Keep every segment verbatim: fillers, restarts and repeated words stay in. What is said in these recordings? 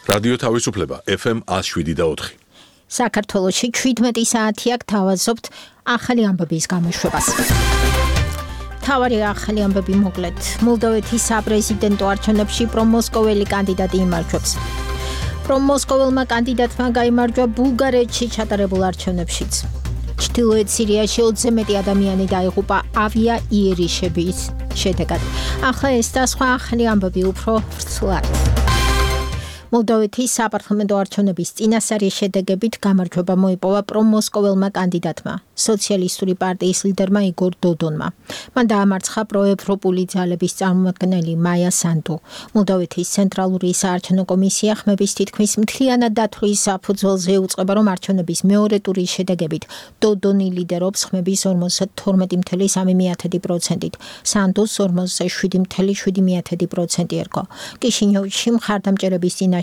რადიო თავისუფლება F M one oh seven და four. საქართველოში seventeen საათი აქ თავაზობთ ახალი ამბების გამოშვებას. თავარი ახალი ამბები მოკლედ. მოლდოვეთის საპრეზიდენტო არჩევნებში პრომოსკოველი კანდიდატი იმარჯვებს. პრომოსკოველმა კანდიდატმა გაიმარჯვა ბულგარეთში ჩატარებულ არჩევნებშიც. ჩრდილოეთ სირიაში ოცზე მეტი ადამიანი დაიღუპა ავიაიერიშების შედეგად. ახლა ეს და სხვა ახალი ამბები უფრო ვრცლად. მოლდოვეთის საპარლამენტო არჩევნების წინასწარი შედეგებით გამარჯვება მოიპოვა პრომოსკოველმა კანდიდატმა, სოციალისტური პარტიის ლიდერმა იგორ დოდონმა. მან დაამარცხა პროევროპული ძალების წარმომადგენელი მაია სანდუ. მოლდოვეთის ცენტრალური საარჩევნო კომისია ხმების თითქმის მთლიანად დათვლის საფუძველზე უწყება, რომ არჩევნების მეორე ტურის შედეგებით დოდონი ლიდერობს ხმების ორმოცდათორმეტი კoma სამი პროცენტით. სანდუს ორმოცდაშვიდი კoma შვიდი პროცენტი ერგო. კიშინიოვში მხარდამჭერების წინაშე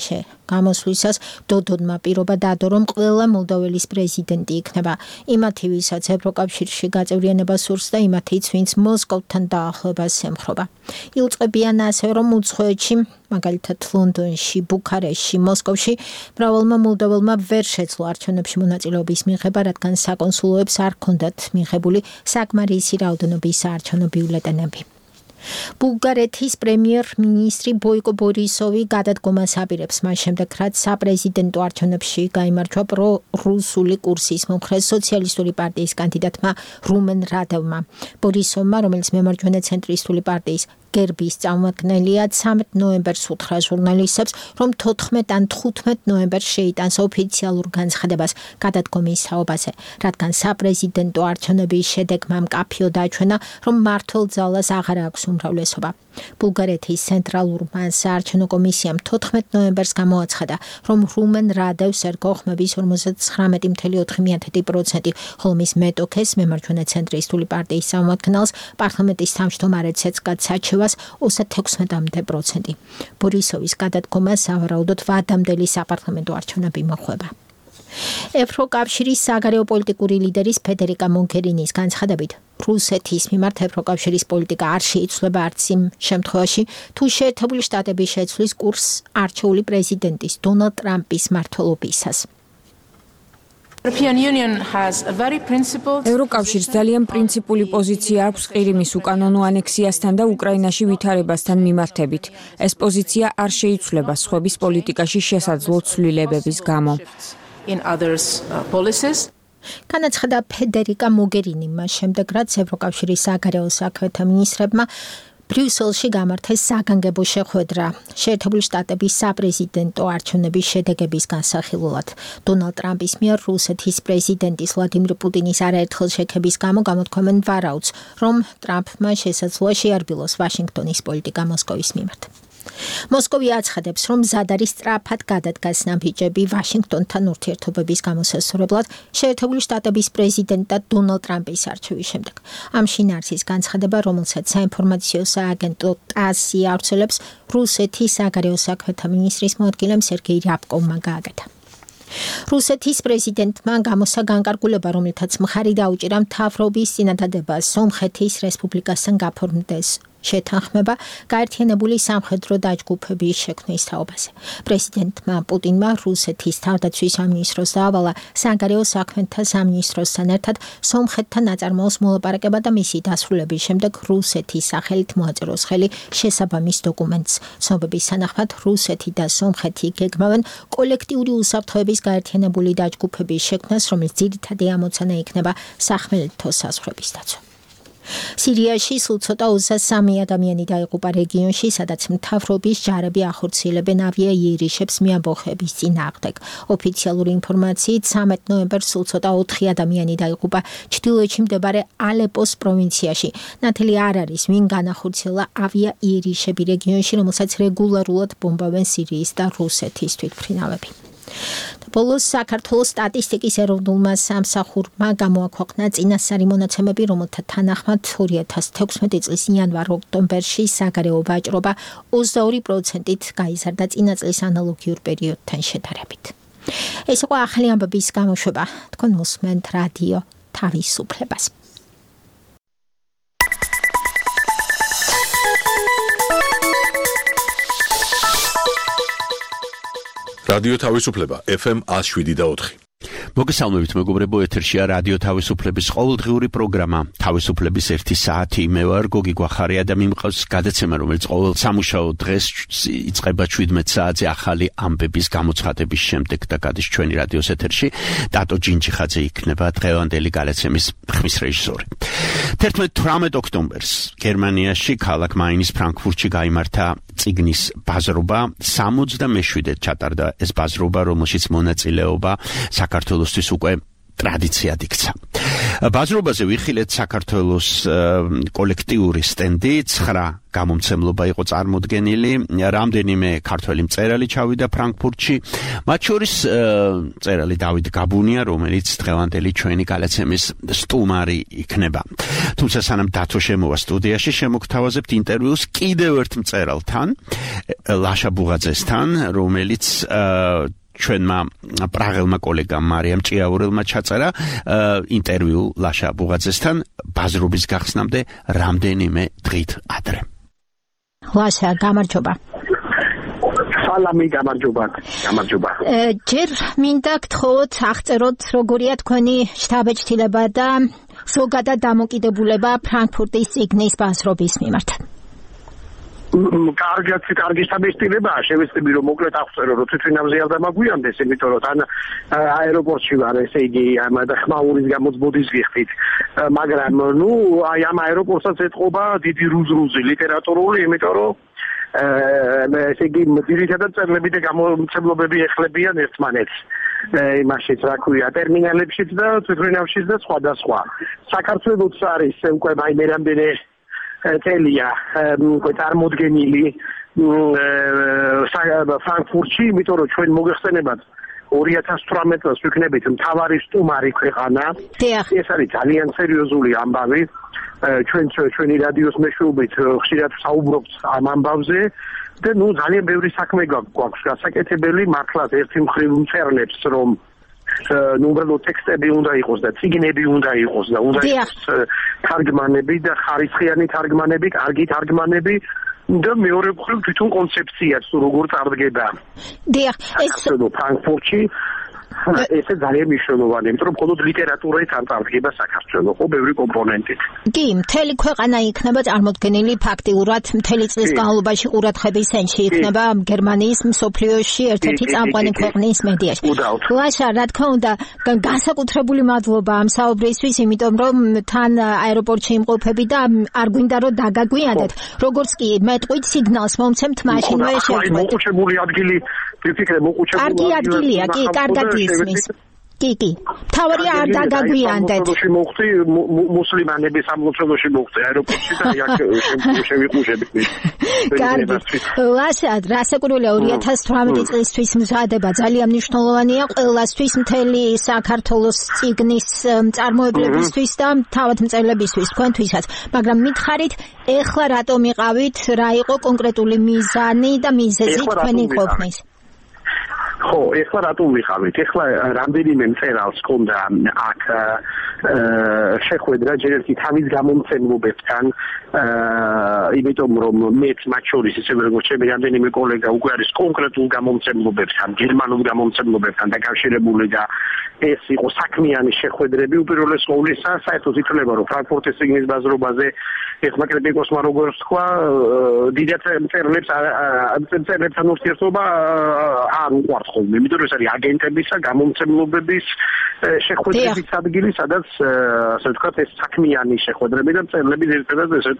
გამოსვლისას დოდონმა პირობა დადო, რომ ყველა მოლდოველის პრეზიდენტი იქნება. იმათი, ვისაც ევროკავშირში გაწევრიანება სურს და იმათიც, ვინც მოსკოვთან დაახლოებას ემხრობა. იუწყებიან ასევე, რომ უცხოეთში, მაგალითად ლონდონში, ბუქარესტში, მოსკოვში მრავალმა მოლდოველმა ვერ შეძლო არჩევნებში მონაწილეობის მიღება, რადგან საკონსულოებს არ ჰქონდათ მიღებული საკმარისი რაოდენობის საარჩევნო ბიულეტენები. ბულგარეთის პრემიერ-მინისტრი ბოიკო ბორისოვი გადადგომას აპირებს მას შემდეგ, რაც საპრეზიდენტო არჩევნებში გაიმარჯვა პრო-რუსული კურსის მომხრე სოციალისტური პარტიის კანდიდატმა რუმენ რადევმა. ბორისოვმა, რომელიც მემარჯვენე ცენტრისტული პარტიის გერბის წარმომადგენელია, ცამეტ ნოემბერს უთხრა ჟურნალისტებს, რომ თოთხმეტ ან თხუთმეტ ნოემბერს შეიტანს ოფიციალურ განცხადებას გადადგომის თაობაზე, რადგან საპრეზიდენტო არჩევნების შედეგმა მკაფიო დაჩვენა, რომ მმართველ ძალას აღარ აქვს უმრავლესობა. ბულგარეთის ცენტრალურმა საარჩევნო კომისიამ თოთხმეტ ნოემბერს გამოაცხადა, რომ რუმენ რადევს ერგო ხმების ორმოცდათხრამეტი კoma ოთხი პროცენტი, ხოლო მის მეტოქეს მემარჯვენე ცენტრისტული პარტიის წარმომადგენელს პარლამენტის თავმჯდომარედ ცეცხლად საჩევას ოცდათექვსმეტი პროცენტი. ბორისოვის გადადგომას სავარაუდოდ ვადამდელი საპარლამენტო არჩევნები მოჰყვება. ევროკავშირის საგარეო პოლიტიკური ლიდერის ფედერიკა მოგერინის განცხადებით, რუსეთის მიმართ ევროკავშირის პოლიტიკა არ შეიცვლება არც იმ შემთხვევაში, თუ შეერთებული შტატები შეცვლის კურსს არჩეული პრეზიდენტის დონალდ ტრამპის მმართველობისას. ევროკავშირს ძალიან პრინციპული პოზიცია აქვს ყირიმის უკანონო ანექსიასთან და უკრაინაში ვითარებასთან მიმართებით. ეს პოზიცია არ შეიცვლება სხვების პოლიტიკაში შესაძლო ცვლილებების გამო. განაცხადა ფედერიკა მოგერინი მას შემდეგ, რაც ევროკავშირის საგარეო საქმეთა მინისტრებმა ბრიუსელში გამართეს საგანგებო შეხვედრა შეერთებული შტატების საპრეზიდენტო არჩევნების შედეგების განსახილველად. დონალდ ტრამპის მიერ რუსეთის პრეზიდენტის ვლადიმირ პუტინის არაერთხელ შექების გამო გამოთქვამენ ვარაუდს, რომ ტრამპმა შესაძლოა შეარბილოს ვაშინგტონის პოლიტიკა მოსკოვის მიმართ. მოსკოვი აცხადებს, რომ მზად არის სწრაფად გადადგას ნაბიჯები ვაშინგტონთან ურთიერთობების გამოსასწორებლად შეერთებული შტატების პრეზიდენტად დონალდ ტრამპის არჩევის შემდეგ. ამ შინაარსის განცხადება, რომელსაც საინფორმაციო სააგენტო ტასი ავრცელებს, რუსეთის საგარეო საქმეთა მინისტრის მოადგილემ სერგეი რябკოვმა გააკეთა. რუსეთის პრეზიდენტმა გამოსცა განკარგულება, რომელთაც მხარი დაუჭირა მთავრობის წინადადებას სომხეთის რესპუბლიკასთან გაფორმდეს შეთანხმება გაერთიანებული სამხედრო დაჯგუფების შექმნის თაობაზე. პრეზიდენტმა პუტინმა რუსეთის თავდაცვის სამინისტროს დაავალა საგარეო საქმეთა სამინისტროსთან ერთად სომხეთთან ნაწარმოოს მოლაპარაკება და მისი დასრულების შემდეგ რუსეთის სახელით მოაწეროს ხელი შესაბამის დოკუმენტს. ცნობების თანახმად რუსეთი და სომხეთი გეგმავენ კოლექტიური უსაფრთხოების გაერთიანებული დაჯგუფების შექმნას, რომელიც ძირითადი ამოცანა იქნება სახმელეთო საზღვრების დაცვა. სირიაში სულ ცოტა ოცდასამი ადამიანი დაიღუპა რეგიონში, სადაც მთავრობის ჯარები ახორციელებენ ავიაიერიშებს მიამბოხების წინააღმდეგ. ოფიციალური ინფორმაციით ცამეტ ნოემბერს სულ ცოტა ოთხი ადამიანი დაიღუპა ჩრდილოეთში მდებარე ალეპოს პროვინციაში. ნათელი არ არის, ვინ განახორციელა ავიაიერიშები რეგიონში, რომელსაც რეგულარულად ბომბავენ სირიის და რუსეთის თვითმფრინავები. ბოლოს საქართველოს სტატისტიკის ეროვნულმა სამსახურმა გამოაქვეყნა წინასწარი მონაცემები, რომელთა თანახმად ორი ათას თექვსმეტი წლის იანვარ-ოქტომბერში საგარეო ვაჭრობა ოცდაორი პროცენტით გაიზარდა წინა წლის ანალოგიურ პერიოდთან შედარებით. ეს იყო ახალი ამბების გამოშვება. თქვენ მოსმენთ რადიო თავისუფლებას. რადიო თავისუფლება ეფ ემ one oh seven point four. მოგესალმებით მეგობრებო, ეთერშია რადიო თავისუფლების ყოველდღიური პროგრამა თავისუფლების ერთი საათი. მე ვარ გოგი გვახარია და მიმყავს გადაცემა, რომელიც ყოველ სამუშაო დღეს იწყება შვიდმეტ საათზე ახალი ამბების გამოცხადების შემდეგ და გადის ჩვენი რადიოს ეთერში. ტატო ჯინჯიხაძე იქნება დღევანდელი გადაცემის ხმის რეჟისორი. თერთმეტ ოქტომბერს გერმანიაში ქალაქ მაინის ფრანკფურტში გაიმართა წიგნის ბაზრობა. სამოცდამეშვიდედ ჩატარდა ეს ბაზრობა, რომელშიც მონაწილეობა საქართველოსთვის უკვე ტრადიციად იქცა. ბაზრობაზე ვიხილეთ საქართველოს კოლექტიური სტენდი, ცხრა გამომცემლობა იყო წარმოდგენილი, რამდენიმე ქართველი მწერალი ჩავიდა ფრანკფურტში, მათ შორის მწერალი დავით გაბუნია, რომელიც დღევანდელი ჩვენი გადაცემის სტუმარი იქნება. თუმცა სანამ დათო შემოვა სტუდიაში, შემოგთავაზებთ ინტერვიუს კიდევ ერთ მწერალთან, ლაშა ბუღაძესთან, რომელიც ჩვენმა პრაღელმა კოლეგამ მარიამ ჭიაურელმა ჩაწერა ინტერვიუ ლაშა ბუღაძესთან ბაზრობის გახსნამდე რამდენიმე დღით ადრე. ლაშა, გამარჯობა. სალამი, გამარჯობა. გამარჯობა. ჯერ მინდა გთხოვოთ, აღწეროთ როგორია თქვენი შთაბეჭდილება და ზოგადად დამოკიდებულება ფრანკფურტის წიგნის ბაზრობის მიმართ. კარგად, კარგი შთაბეჭდილებაა, შევეცდები რომ მოკლედ აღწერო, რომ თვითონავზე არ დამაგვიანდეს, იმიტომ რომ თან აეროპორტში ვარ, ესე იგი, ამ და ხმაურის გამოც ბოდის გიხდით. მაგრამ ნუ აი ამ აეროპორტსაც ეთყობა დიდი რუზრუზი ლიტერატურული, იმიტომ რომ ესე იგი, ძირითადად წერლები და გამომცემლობები ეხლებიან ერთმანეთს. იმაშიც რა ქვია, ტერმინალებშიც და თვითონავშიც და სხვა და სხვა. საქართველოს არის უკვე აი მე რამდენი წელია წარმოდგენილი ფრანკფურტში, იმიტომ რომ ჩვენ მოგეხსენებათ ორი ათას თვრამეტ წელს ვიქნებით მთავარი სტუმარი ქვეყანა. ეს არის ძალიან სერიოზული ამბავი. ჩვენ ჩვენი რადიოს მეშვეობით ხშირად საუბრობთ ამ ამბავზე და ნუ ძალიან ბევრი საქმე გვაქვს გასაკეთებელი, მართლაც ერთი მხრივ მწერლებს რომ ნუ უბრალოდ ტექსტები უნდა იყოს და წიგნები უნდა იყოს და უნდა იყოს თარგმანები და ხარისხიანი თარგმანები, კარგი თარგმანები და მეორე მხრივ თვითონ კონცეფციაც როგორ წარდგება. დიახ, ეს ფრანკფურტში ესე ძალიან მნიშვნელოვანია, იმიტომ რომ მხოლოდ ლიტერატურით არ წარდგება საქართველო, ხო ბევრი კომპონენტით. კი, მთელი ქვეყანა იქნება წარმოდგენილი ფაქტიურად, მთელი წლის განმავლობაში ყურადღების ცენტრში იქნება გერმანიის მსოფლიოში ერთ-ერთი წამყვანი ქვეყნის მედიაში. ლაშა, რა თქმა უნდა, განსაკუთრებული მადლობა ამ საუბრისთვის, იმიტომ რომ თან აეროპორტში იმყოფები და არ გვინდა რომ დაგაგვიანდეთ. როგორც კი მეტყვით სიგნალს მომცემთ მაშინვე შევხვდეთ. მოყუჩებული ადგილი, ვიფიქრე მოყუჩებული. კარგი ადგილია, კი, კარგად ისმის. კი, კი. თავარია არ დაგაგვიანდეთ. შემოხდი მოხდი მუსლიმანების სამლოცველოში მოხდი აეროპორტში და აქ შევიყუშები. კარგი. ლაშა, რასაკვირველია ორი ათას თვრამეტი წლისთვის მზადება ძალიან მნიშვნელოვანია ყველასთვის, მთელი საქართველოს წიგნის მწარმოებლებისთვის და თავად მწერლებისთვის, თქვენთვისაც. მაგრამ მითხარით, ეხლა რატომ იყავით, რა იყო კონკრეტული მიზანი და მიზეზი თქვენი ყოფნის? ხო, ეხლა რატომ ვიყავით? ეხლა რამდენიმე მწერალს ჰქონდა აქ შეხვედრა ჯერ ერთი თავის გამომცემლობებთან, იმიტომ რომ მეც მათ შორის ისევე როგორც ჩემი რამდენიმე კოლეგა უკვე არის კონკრეტულ გამომცემლობებთან, გერმანულ გამომცემლობებთან დაკავშირებული და ეს იყო საქმიანი შეხვედრები. უპირველეს ყოვლისა, საერთოდ ითვლება, რომ ფრანკფურტის წიგნის ბაზრობაზე ეხლა კრიტიკოსმა როგორც თქვა, დიდ მწერლებს მწერლებთან ურთიერთობა არ უყვართ ხოლმე, იმიტომ რომ ეს არის აგენტებისა, გამომცემლობების შეხვედრების ადგილი, სადაც ასე ვთქვათ, ეს საქმიანი შეხვედრები და მწერლები ერთადაც ესე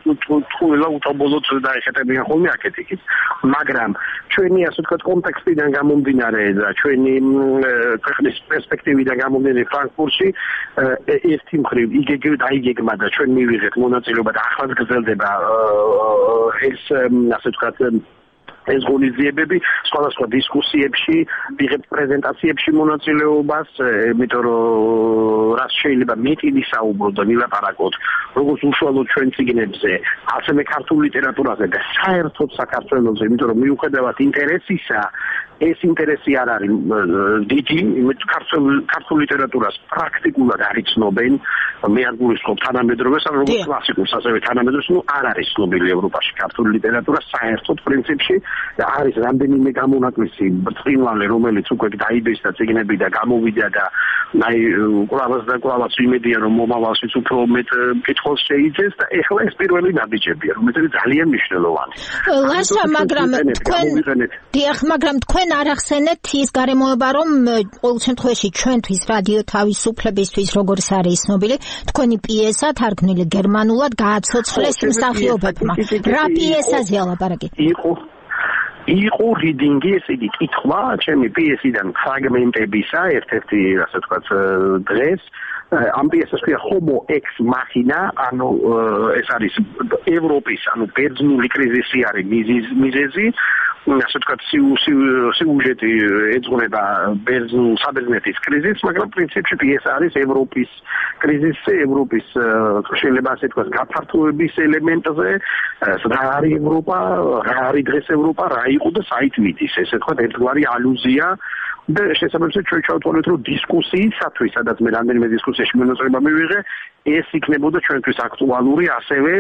თულა უთობოლოდ დაეხეტებიან ხოლმე აქეთ-იქით. მაგრამ ჩვენი ასე ვთქვათ კონტექსტიდან გამომდინარე და ჩვენი ქვეყნის პერსპექტივიდან გამომდინარე ფრანკფურტში ერთი მხრივ იგეგმ დაიგეგმა და ჩვენ მივიღეთ მონაწილეობა და ახლაც გრძელდება ეს ასე ვთქვათ ეს ღონისძიებები სხვადასხვა დისკუსიებში, ვიღებთ პრეზენტაციებში მონაწილეობას, იმიტომ რომ რაც შეიძლება მეტი ვისაუბროთ და ვილაპარაკოთ, როგორც უშუალოდ ჩვენ წიგნებზე, ასევე ქართულ ლიტერატურაზე და საერთოდ საქართველოზე, იმიტომ რომ მიუხედავად ინტერესისა, ეს ინტერესი არ არის დიდი, ქართულ ქართულ ლიტერატურას პრაქტიკულად არ იცნობენ, მე არ გულისხმობ თანამედროვეს, როგორც კლასიკურს, ასევე თანამედროვეს, ნუ არ არის ცნობილი ევროპაში ქართული ლიტერატურა საერთოდ პრინციპში. არის რამდენიმე გამონაკლისი ბრწყინვალე, რომელიც უკვე დაიბეს და ციგნები და გამოვიდა და აი კლავას და კლავას იმედია რომ მომავალშიც უფრო მეტ კითხავს შეიძეს და ეხლა ეს პირველი ნაბიჯებია, რომელიც ძალიან მნიშვნელოვანი. ლაშა, მაგრამ თქვენ დიახ, მაგრამ თქვენ არ ახსენეთ ის გარემოება, რომ ყოველ შემთხვევაში ჩვენთვის რადიო თავისუფლებისთვის როგორც არის ცნობილი, თქვენი პიესა თარგმნილი გერმანულად გააცოცხლეს მსახიობებმა. რა პიესაზეა ლაპარაკი? იყო იყო რიდინგი, ესე იგი კითხვა ჩემი პიესიდან ფრაგმენტებისა, ერთ-ერთი ასე ვთქვათ დღეს ამ პიესას ქვია Homo ex machina, ანუ ეს არის ევროპის, ანუ ბერძნული კრიზისი არის მიზეზი, ასე ვთქვათ სიუჟეტი ეძღვნება ბერძნულ საბერძნეთის კრიზისს, მაგრამ პრინციპში პიესა არის ევროპის კრიზისი, ევროპის შეიძლება ასე ვთქვათ გაფართოების ელემენტზე, რა არის ევროპა, რა არის დღეს ევროპა, რა იყო და საით მიდის, ესე ვთქვათ ერთგვარი ალუზია და შესაბამისად ჩვენ ჩავთვალეთ რომ დისკუსიისათვის, სადაც მე რამდენიმე დისკუსიაში მონაწილეობა მივიღე, ეს იქნებოდა ჩვენთვის აქტუალური, ასევე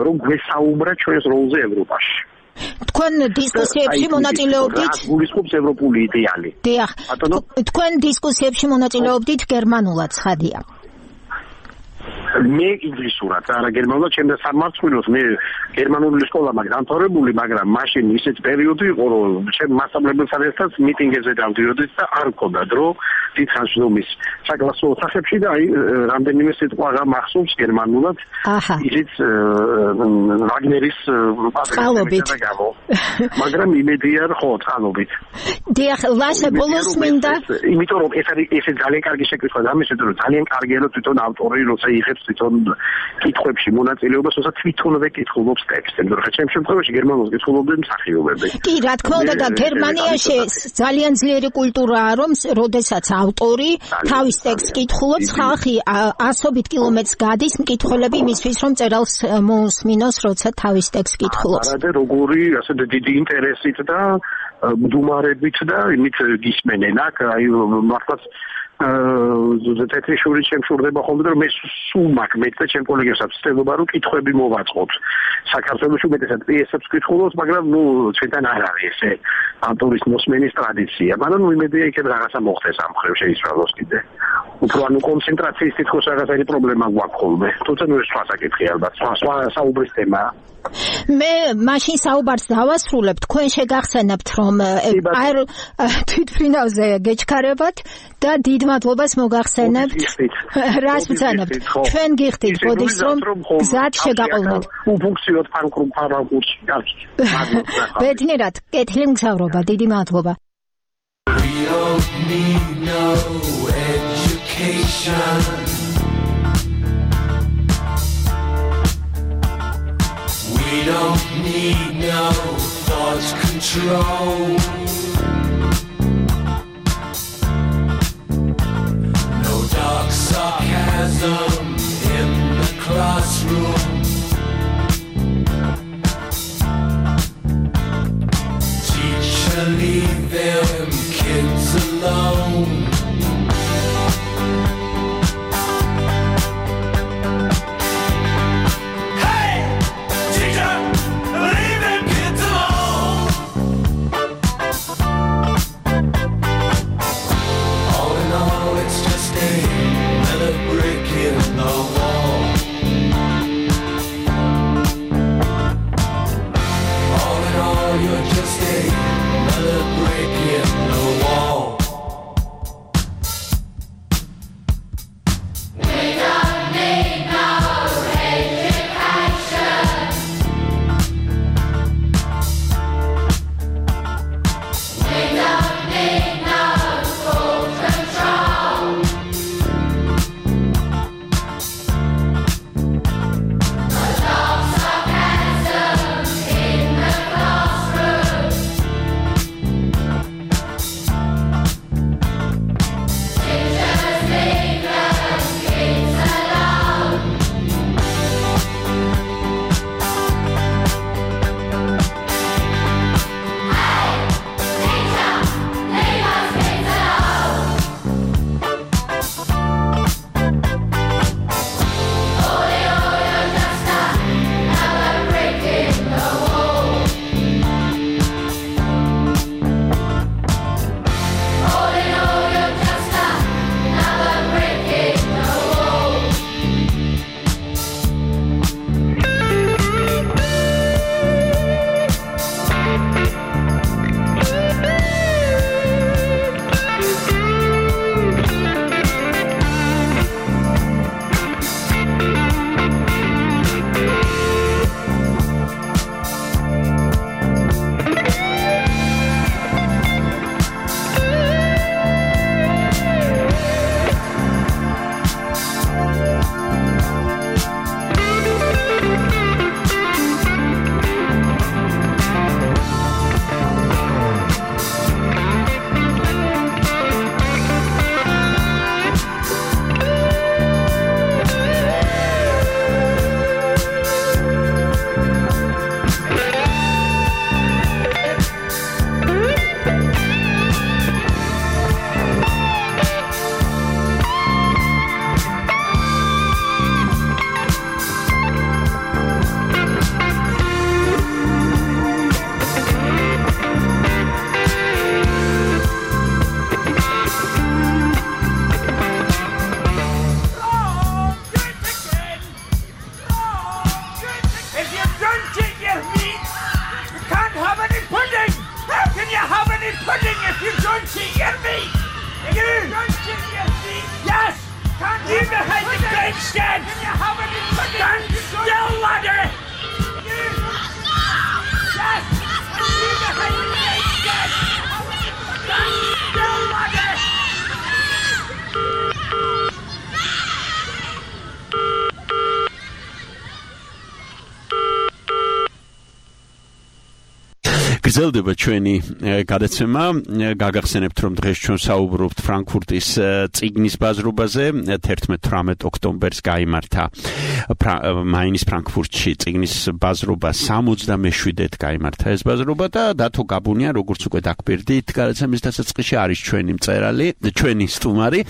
რომ გვესაუბრა ჩვენს როლზე ევროპაში. თქვენ დისკუსიებში მონაწილეობდით? გულისხმობს ევროპული იდეალი. დიახ. თქვენ დისკუსიებში მონაწილეობდით გერმანულად, ცხადია. მე ინგლისურად, არა გერმანულად, ჩემს სამართლოს მე გერმანული სკოლა მაქვს დამთავრებული, მაგრამ მაშინ ისეთ პერიოდი იყო, რომ ჩემ მასწავლებელთან ერთად მიტინგებზე დავდიოდი და არ მქონდა დრო დიდხანს საკლასო ოთახებში და აი რამდენიმე სიტყვა გამახსოვს გერმანულად. ისიც ვაგნერის წყალობით. მაგრამ იმედია ხო, წყალობით. დიახ, ლაშა ბოლოს მინდა. იმიტომ რომ ეს არის ეს ძალიან კარგი შეკითხვა და ამის რომ ძალიან კარგია რომ თვითონ ავტორი როცა იღებს თვითონ კითხვებში მონაწილეობას, თორსა თვითონვე კითხულობს ტექსტს. მაგრამ ხა ჩემ შემთხვევაში გერმანულს კითხულობდნენ მსახიობები. კი, რა თქმა უნდა და გერმანიაში ძალიან ძლიერი კულტურაა, რომ როდესაც ავტორი თავის ტექსტს კითხულობს, ხალხი ასობით კილომეტრს გადის მკითხველები იმისთვის, რომ წერალს მოусმინოს, როცა თავის ტექსტს კითხულობს. არა და როგორი ასე დიდი ინტერესით და მდუმარებით და იმით გისმენენ აქ, აი მართლაც აა თეთრი შური შემშურდება ხოლმე რომ მე სულ მაქვს მე და ჩემ კოლეგებსაც ვწდობა რომ კითხვები მოვაწყოთ საქართველოში უმეტესად პიესებს კითხულობს მაგრამ ნუ ჩვენთან არ არის ესე ავტორის მოსმენის ტრადიცია მაგრამ ნუ იმედია იქ რაღაცა მოხდეს ამ ხრივ შეისწავლოს კიდე უფრო ანუ კონცენტრაციის თითქოს რაღაცა პრობლემა გვაქვს ხოლმე თუმცა ნუ ეს სხვა საკითხი ალბათ სხვა სხვა საუბრის თემაა მე მაშინ საუბარს დავასრულებ თქვენ შეგახსენებთ რომ არ თვითფრინავზე გეჩქარებათ და დიდ მადლობას მოგახსენებთ რას ვცანებთ ჩვენ გიხდით ბოდიშს რომ გზად შეგაყოლოთ უფუნქციოდ ფანკრუმ ფარაგურში კარგი ბედნიერად კეთილი მგზავრობა დიდი მადლობა We don't need no education We don't need no thought control No dark sarcasm in the classroom Teacher, leave them kids alone behind the grandstand! Stand still, laddie! Yes! You behind the grandstand! Stand still, laddie! გრძელდება ჩვენი გადაცემა. გაგახსენებთ, რომ დღეს ჩვენ საუბრობთ ფრანკფურტის წიგნის ბაზრობაზე. თერთმეტ-თვრამეტ ოქტომბერს გაიმართა მაინის ფრანკფურტში წიგნის ბაზრობა სამოცდამეშვიდედ გაიმართა ეს ბაზრობა და დათო გაბუნია, როგორც უკვე დაგბერდით, გადაცემის დასაწყისში არის ჩვენი მწერალი, ჩვენი სტუმარი,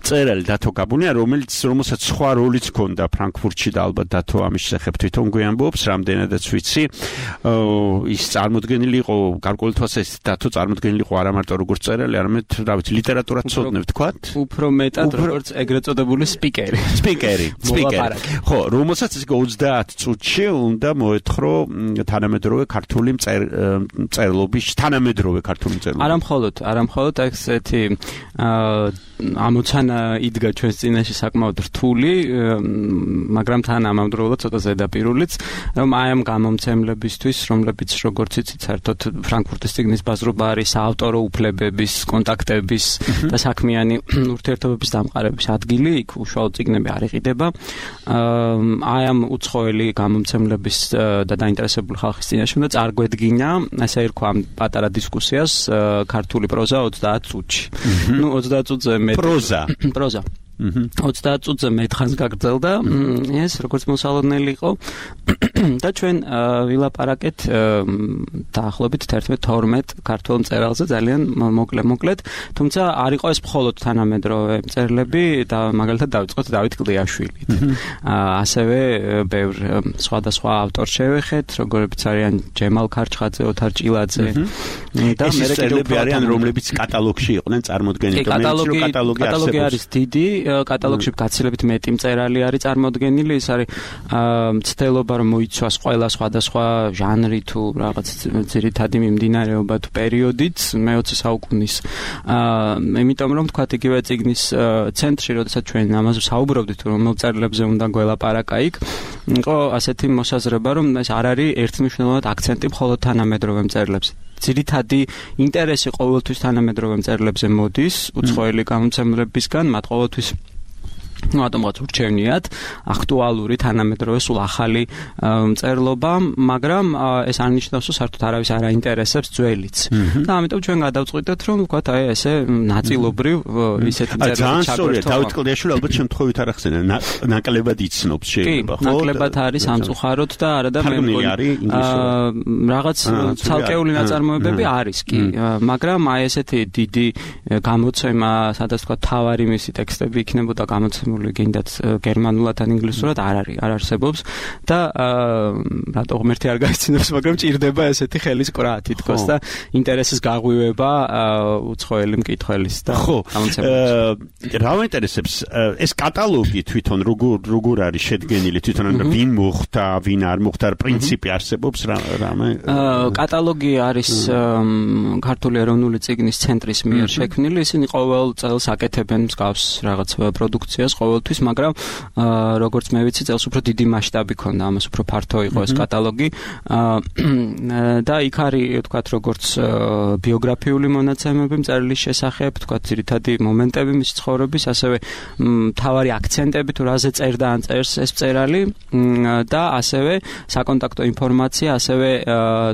მწერალი დათო გაბუნია, რომელიც რომელსაც სხვა როლიც ჰქონდა ფრანკფურტში და ალბათ დათო ამის შესახებ თვითონ გვიამბობს, რამდენადაც ვიცი. ის წარმოდგენილი იყო გარკვეული თვალსაზრისით დათო წარმოდგენილი იყო არა მარტო როგორც წერალი, არამედ რა ვიცი, ლიტერატურას ცოდნებ თქვათ? უფრო მეტად როგორც ეგრეთ წოდებული სპიკერი. სპიკერი, სპიკერი. ხო, რომელსაც ის ოცდაათ წუთში უნდა მოეთხრო თანამედროვე ქართული მწერლობის, თანამედროვე ქართული მწერლობის. არა მხოლოდ, არა მხოლოდ ესეთი ამოცანა იდგა ჩვენს წინაშე საკმაოდ რთული, მაგრამ თან ამავდროულად ცოტა ზედაპირულიც, რომ აი ამ გამომცემლებისთვის, რომლებიც როგორც იცით, საერთოდ ფრანკფურტის წიგნის ბაზრობა არის საავტორო უფლებების, კონტაქტების და საქმიანი ურთიერთობების დამყარების ადგილი, იქ უშუალოდ წიგნები არ იყიდება. აი ამ უცხოელი გამომცემლების და დაინტერესებული ხალხის წინაშე უნდა წარგვედგინა, ასე ერქვა ამ პატარა დისკუსიას ქართული პროზა ოცდაათ წუთში. ნუ ოცდაათ წუთზე მე პროზა პროზა ოცდაათ წუთზე მეტხანს გაგრძელდა ეს როგორც მოსალოდნელი იყო და ჩვენ ვილაპარაკეთ დაახლოებით თერთმეტ-თორმეტ ქართულ მწერალზე ძალიან მოკლე-მოკლედ, თუმცა არ იყო ეს მხოლოდ თანამედროვე მწერლები და მაგალითად დავიწყოთ დავით კლდიაშვილით. ასევე ბევრ სხვადასხვა ავტორს შევეხეთ, როგორებიც არიან ჯემალ ქარჩხაძე, ოთარ ჭილაძე და მე მწერლები არიან, რომლებიც კატალოგში იყვნენ წარმოდგენილი. კატალოგი არის დიდი, კატალოგში გაცილებით მეტი მწერალი არის წარმოდგენილი, ის არის მცდელობა რომ მოიცვას ყველა სხვადასხვა ჟანრი თუ რაღაც ძირითადი მიმდინარეობა თუ პერიოდით მეოცე საუკუნის. იმიტომ რომ თქვათ იგივე წიგნის ცენტრში, როდესაც ჩვენ ამაზე საუბრობდით, რომ მწერლებზე უნდა გველაპარაკა იქ, იყო ასეთი მოსაზრება, რომ ეს არ არის ერთმნიშვნელოვნად აქცენტი მხოლოდ თანამედროვე მწერლებს. ძირითადი ინტერესი ყოველთვის თანამედროვე მწერლებზე მოდის, უცხოელი გამომცემლებისგან, მათ ყოველთვის რატომღაც ურჩევნიათ აქტუალური თანამედროვე სულ ახალი მწერლობა, მაგრამ ეს არ ნიშნავს, რომ საერთოდ არავის არ აინტერესებს ძველიც. და ამიტომ ჩვენ გადავწყვიტეთ, რომ ვთქვათ, აი ესე ნაწილობრივ ისეთი მწერლები ჩაგვერთვა. ძალიან სწორია, დავით კლდიაშვილი ალბათ შემთხვევით არ ახსენა, ნაკლებად იცნობს შეიძლება, ხო? ნაკლებად არის სამწუხაროდ და არა და მე მგონი რაღაც ცალკეული ნაწარმოებები არის კი, მაგრამ აი ესეთი დიდი გამოცემა, სადაც ვთქვათ, თავარი მისი ტექსტები იქნებოდა გამოცემული გინდათ გერმანულად ან ინგლისურად არ არის, არ არსებობს და რატო ღმერთი არ გაიცნობს, მაგრამ ჭირდება ესეთი ხელის კვრა თითქოს და ინტერესის გაღვივება უცხოელი მკითხველის და გამოცემების. რა მაინტერესებს ეს კატალოგი თვითონ როგორ როგორ არის შედგენილი, თვითონ ვინ მოხდა, ვინ არ მოხდა, პრინციპი არსებობს რამე? კატალოგი არის ქართული ეროვნული წიგნის ცენტრის მიერ შექმნილი, ისინი ყოველ წელს აკეთებენ მსგავს რაღაც პროდუქციას ყოველთვის, მაგრამ როგორც მე ვიცი, წელს უფრო დიდი მასშტაბი ქონდა, ამას უფრო ფართო იყო ეს კატალოგი და იქ არის, ვთქვათ, როგორც ბიოგრაფიული მონაცემები მწერლის შესახებ, ვთქვათ, ძირითადი მომენტები მის ცხოვრების, ასევე მთავარი აქცენტები თუ რაზე წერდა ან წერს ეს მწერალი და ასევე საკონტაქტო ინფორმაცია, ასევე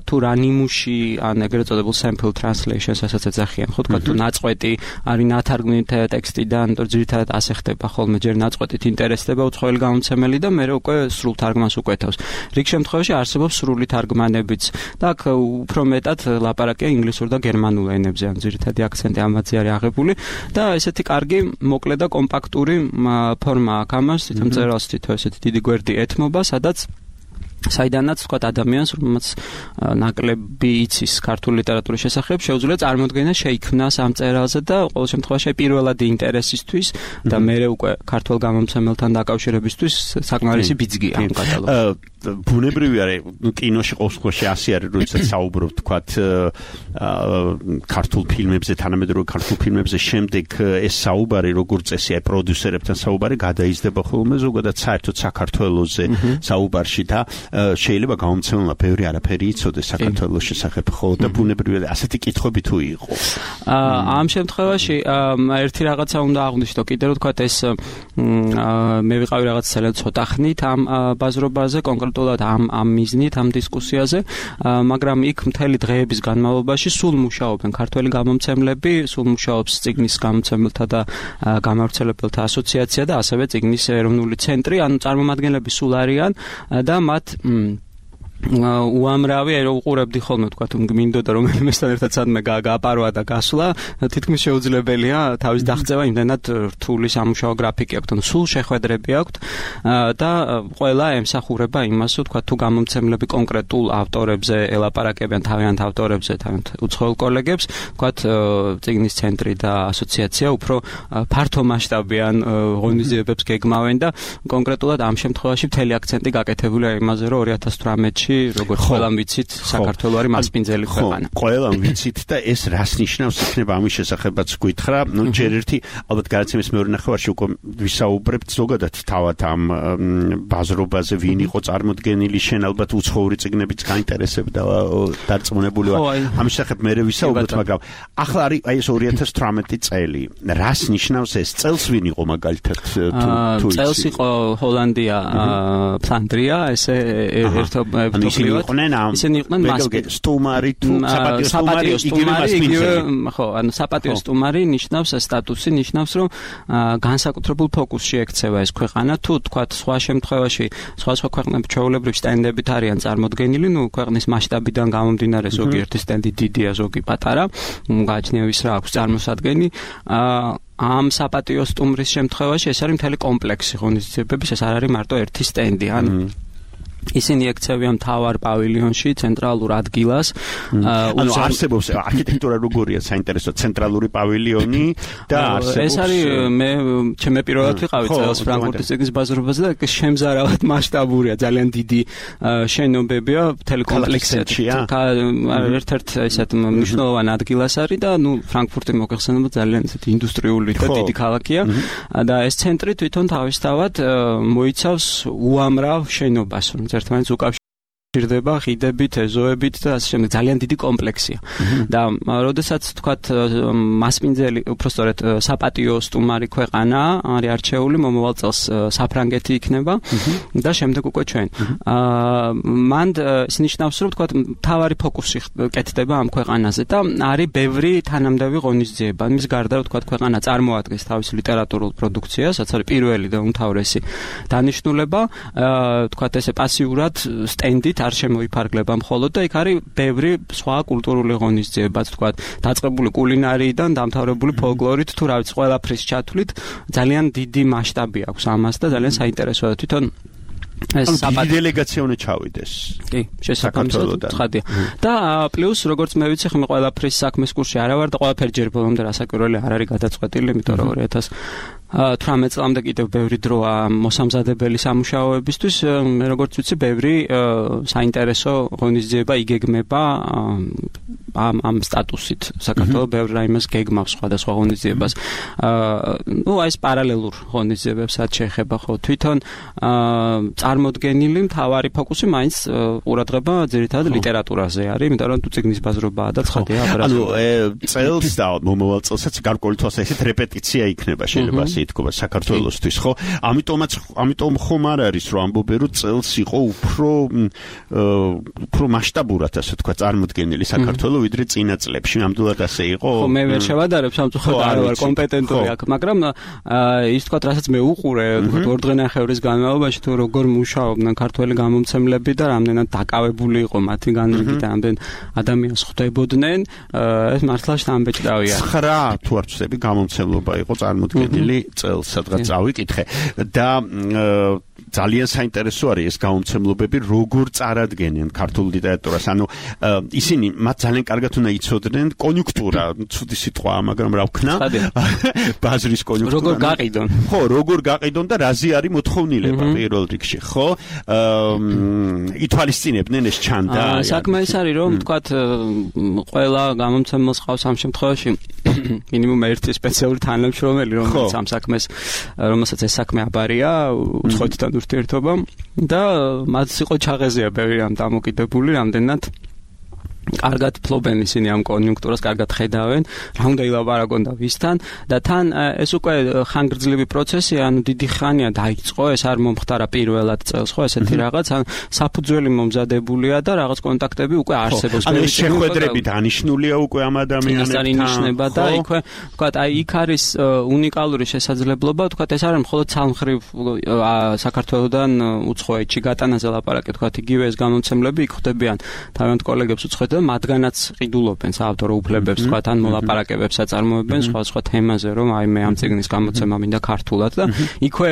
თუ რა ნიმუში ან ეგრეთ წოდებულ sample translations ასაც ეძახიან, ხო, ვთქვათ, თუ ნაწყვეტი არის ნათარგმნი ტექსტიდან, თუ ძირითადად ასე ხდება ხოლმე ჯერ ნაწყვეტით ინტერესდება უცხოელი გამომცემელი და მერე უკვე სრულ თარგმანს უკვეთავს. რიგ შემთხვევაში არსებობს სრული თარგმანებიც და აქ უფრო მეტად ლაპარაკია ინგლისურ და გერმანულ ენებზე, ან ძირითადი აქცენტი ამაზე არის აღებული და ესეთი კარგი, მოკლე და კომპაქტური ფორმა აქვს ამას, თვითონ მწერალს თვითონ ესეთი დიდი გვერდი ეთმობა, სადაც საიდანაც თქვა ადამიანს, რომელმაც ნაკლები იცის ქართული ლიტერატურის შესახებ, შეუძლია წარმოდგენა შეიქმნას ამ მწერალზე და ყოველ შემთხვევაში პირველადი ინტერესისთვის და მერე უკვე ქართულ გამომცემელთან დაკავშირებისთვის საკმარისი ბიძგია ამ კატალოგში. ბუნებრივი არის, ნუ კინოში ყოველთვის ასე არის, როდესაც საუბრობ თქვათ ქართულ ფილმებზე, თანამედროვე ქართულ ფილმებზე, შემდეგ ეს საუბარი როგორც წესი აი პროდიუსერებთან საუბარი გადაიზრდება ხოლმე ზოგადად საერთოდ საქართველოზე საუბარში და შეიძლება გამომცემელმა ბევრი არაფერი იცოდეს საქართველოს შესახებ, ხო და ბუნებრივია ასეთი კითხვები თუ იყო. ამ შემთხვევაში ერთი რაღაცა უნდა აღვნიშნო კიდევ რომ თქვათ ეს მე ვიყავი რაღაც ძალიან ცოტა ხნით ამ ბაზრობაზე, კონკრეტულად ამ ამ მიზნით, ამ დისკუსიაზე, მაგრამ იქ მთელი დღეების განმავლობაში სულ მუშაობენ ქართველი გამომცემლები, სულ მუშაობს წიგნის გამომცემელთა და გამავრცელებელთა ასოციაცია და ასევე წიგნის ეროვნული ცენტრი, ანუ წარმომადგენლები სულ არიან და მათ უამრავი აი რომ უყურებდი ხოლმე თქვა თუ მინდოდა რომ მესთან ერთად სადმე გააპარვა და გასვლა თითქმის შეუძლებელია თავის დაღწევა იმდენად რთული სამუშაო გრაფიკი აქვს, ანუ სულ შეხვედრები აქვს და ყველა ემსახურება იმას, თქვა თუ გამომცემლები კონკრეტულ ავტორებზე ელაპარაკებიან თავიანთ ავტორებზე, თავიანთ უცხოელ კოლეგებს, თქვა წიგნის ცენტრი და ასოციაცია უფრო ფართო მასშტაბიან ღონისძიებებს გეგმავენ და კონკრეტულად ამ შემთხვევაში მთელი აქცენტი გაკეთებულია იმაზე, რომ ორი ათას თვრამეტში როგორც ყველამ ვიცით, საქართველო არის მასპინძელი ქვეყანა. ხო, ყველამ ვიცით და ეს რას ნიშნავს იქნება ამის შესახებაც გითხრა. ნუ ჯერ ერთი ალბათ გადაცემის მეორე ნახევარში უკვე ვისაუბრებთ ზოგადად თავად ამ ბაზრობაზე, ვინ იყო წარმოდგენილი, შენ ალბათ უცხოური წიგნებიც გაინტერესებდა დარწმუნებული ვარ. ამის შესახებ მე ვისაუბრებთ, მაგრამ ახლა არის აი ეს ორი ათას თვრამეტი წელი. რას ნიშნავს ეს წელს ვინ იყო მაგალითად თუ წელს იყო ჰოლანდია, ფლანდრია, ესე ერთობ ისინი იყვნენ ამ ისინი იყვნენ სტუმარი თუ საპატიო სტუმარი იგივე ხო ანუ საპატიო სტუმარი ნიშნავს სტატუსი ნიშნავს რომ განსაკუთრებულ ფოკუსში ექცევა ეს ქვეყანა თუ თქვათ სხვა შემთხვევაში სხვა სხვა ქვეყნები ჩვეულებრივ სტენდებით არიან წარმოდგენილი ნუ ქვეყნის მასშტაბიდან გამომდინარე ზოგი ერთი სტენდი დიდია ზოგი პატარა გააჩნია ვის რა აქვს წარმოსადგენი ამ საპატიო სტუმრის შემთხვევაში ეს არის მთელი კომპლექსი ღონისძიებების ეს არ არის მარტო ერთი სტენდი ანუ ისინი ექცევიან მთავარ პავილიონში, ცენტრალურ ადგილას. ანუ არსებობს არქიტექტურა როგორია საინტერესო ცენტრალური პავილიონი და არსებობს. ეს არის მე ჩემი პირველად ვიყავი წელს ფრანკფურტის წიგნის ბაზრობაზე და შემზარავად მასშტაბურია, ძალიან დიდი შენობებია, მთელი კომპლექსია. ერთ-ერთ ესეთ მნიშვნელოვანი ადგილას არის და ნუ ფრანკფურტი მოგეხსენება ძალიან ესეთი ინდუსტრიული და დიდი ქალაქია და ეს ცენტრი თვითონ თავისთავად მოიცავს უამრავ შენობას, ერთმანეთს უკავშირდება ხიდებით, ეზოებით და ასე შემდეგ ძალიან დიდი კომპლექსია. და როდესაც თქვათ მასპინძელი, უბრალოდ საპატიო სტუმარი ქვეყანა არის არჩეული, მომავალ წელს საფრანგეთი იქნება და შემდეგ უკვე ჩვენ. მან ის ნიშნავს, რომ თქვათ თავარი ფოკუსი კეთდება ამ ქვეყანაზე და არის ბევრი თანამდები ღონისძიება. მის გარდა რომ თქვათ ქვეყანა წარმოადგენს თავის ლიტერატურულ პროდუქციას, რაც არის პირველი და უმთავრესი დანიშნულება, თქვათ ესე პასიურად სტენდით არ შემოიფარგლება მხოლოდ და იქ არის ბევრი სხვა კულტურული ღონისძიებაც, თქვათ, დაწყებული კულინარიიდან დამთავრებული ფოლკლორით, თუ რა ვიცი, ყველაფრის ჩათვლით ძალიან დიდი მასშტაბი აქვს ამას და ძალიან საინტერესოა თვითონ ეს საპატიო დელეგაცია უნდა ჩავიდეს. კი, შესაძლოა ცხადია. და პლუს როგორც მე ვიცი, ხმე ყველაფრის საქმის კურსში არა ვარ და ყველაფერი ჯერ ბოლომდე რასაკვირველი არ არის გადაწყვეტილი, იმიტომ რომ ორი ათას თვრამეტ წლამდე კიდევ ბევრი დროა მოსამზადებელი სამუშაოებისთვის, მე როგორც ვიცი, ბევრი საინტერესო ღონისძიება იგეგმება ამ ამ სტატუსით. საქართველოს ბევრი რაიმეს გეგმავს სხვადასხვა ღონისძიებას. ნუ აი ეს პარალელურ ღონისძიებებსაც შეეხება ხო თვითონ წარმოდგენილი მთავარი ფოკუსი მაინც ყურადღება ძირითადად ლიტერატურაზე არის, იმიტომ რომ თუ წიგნის ბაზრობაა და ცხადია აბრაზი. ანუ წელს და მომავალ წელსაც გარკვეული თვალსაზრისით რეპეტიცია იქნება შეიძლება ასე ითქვა საქართველოსთვის, ხო? ამიტომაც ამიტომ ხომ არ არის რომ ამბობენ რომ წელს იყო უფრო უფრო მასშტაბურად ასე თქვა წარმოდგენილი საქართველოს ვიდრე წინა წლებში. ნამდვილად ასე იყო? ხო, მე ვერ შევადარებ სამწუხაროდ არ ვარ კომპეტენტური აქ, მაგრამ ის თქვა რასაც მე უყურე, თქვა ორ დღენახევრის განმავლობაში თუ როგორ მუშაობდნენ ქართველი გამომცემლები და რამდენად დაკავებული იყო მათი განრიგი და რამდენ ადამიანს ხვდებოდნენ, ეს მართლა შთამბეჭდავია. ცხრა თუ არ ვცდები გამომცემლობა იყო წარმოდგენილი წელს, სადღაც წავიკითხე და ძალიან საინტერესო არის ეს გამომცემლობები როგორ წარადგენენ ქართულ ლიტერატურას. ანუ ისინი მათ ძალიან კარგად უნდა იცოდნენ კონიუნქტურა, ცუდი სიტყვაა, მაგრამ რა ვქნა? ბაზრის კონიუნქტურა. როგორ გაყიდონ? ხო, როგორ გაყიდონ და რაზე არის მოთხოვნილება პირველ რიგში, ხო? ითვალისწინებდნენ ეს ჩანდა. საქმე ის არის, რომ თქვათ ყველა გამომცემელს ყავს ამ შემთხვევაში მინიმუმ ერთი სპეციალური თანამშრომელი, რომელიც ამ საქმეს, რომელსაც ეს საქმე აბარია, უცხოეთთან ურთიერთობა და მათ იყო ჩაღეზია ბევრი ამ დამოკიდებული, რამდენად კარგად ფლობენ ისინი ამ კონიუნქტურას, კარგად ხედავენ, რა უნდა ილაპარაკონ და ვისთან და თან ეს უკვე ხანგრძლივი პროცესია, ანუ დიდი ხანია დაიწყო, ეს არ მომხდარა პირველად წელს, ხო, ესეთი რაღაც, ან საფუძველი მომზადებულია და რაღაც კონტაქტები უკვე არსებობს. ანუ ეს შეხვედრები დანიშნულია უკვე ამ ადამიანებთან. ეს ინიშნება და იქვე, ვთქვათ, აი იქ არის უნიკალური შესაძლებლობა, ვთქვათ, ეს არის მხოლოდ სამხრივ საქართველოსდან უცხოეთში გატანაზე ლაპარაკი, ვთქვათ, იგივე ეს გამომცემლები იქ ხდებიან თავიანთ კოლეგებს უცხოეთში და მათგანაც ყიდულობენ საავტორო უფლებებს, თქვა თან მოლაპარაკებებს აწარმოებენ სხვა-სხვა თემაზე, რომ აი მე ამ წიგნის გამოცემა მინდა ქართულად და იქვე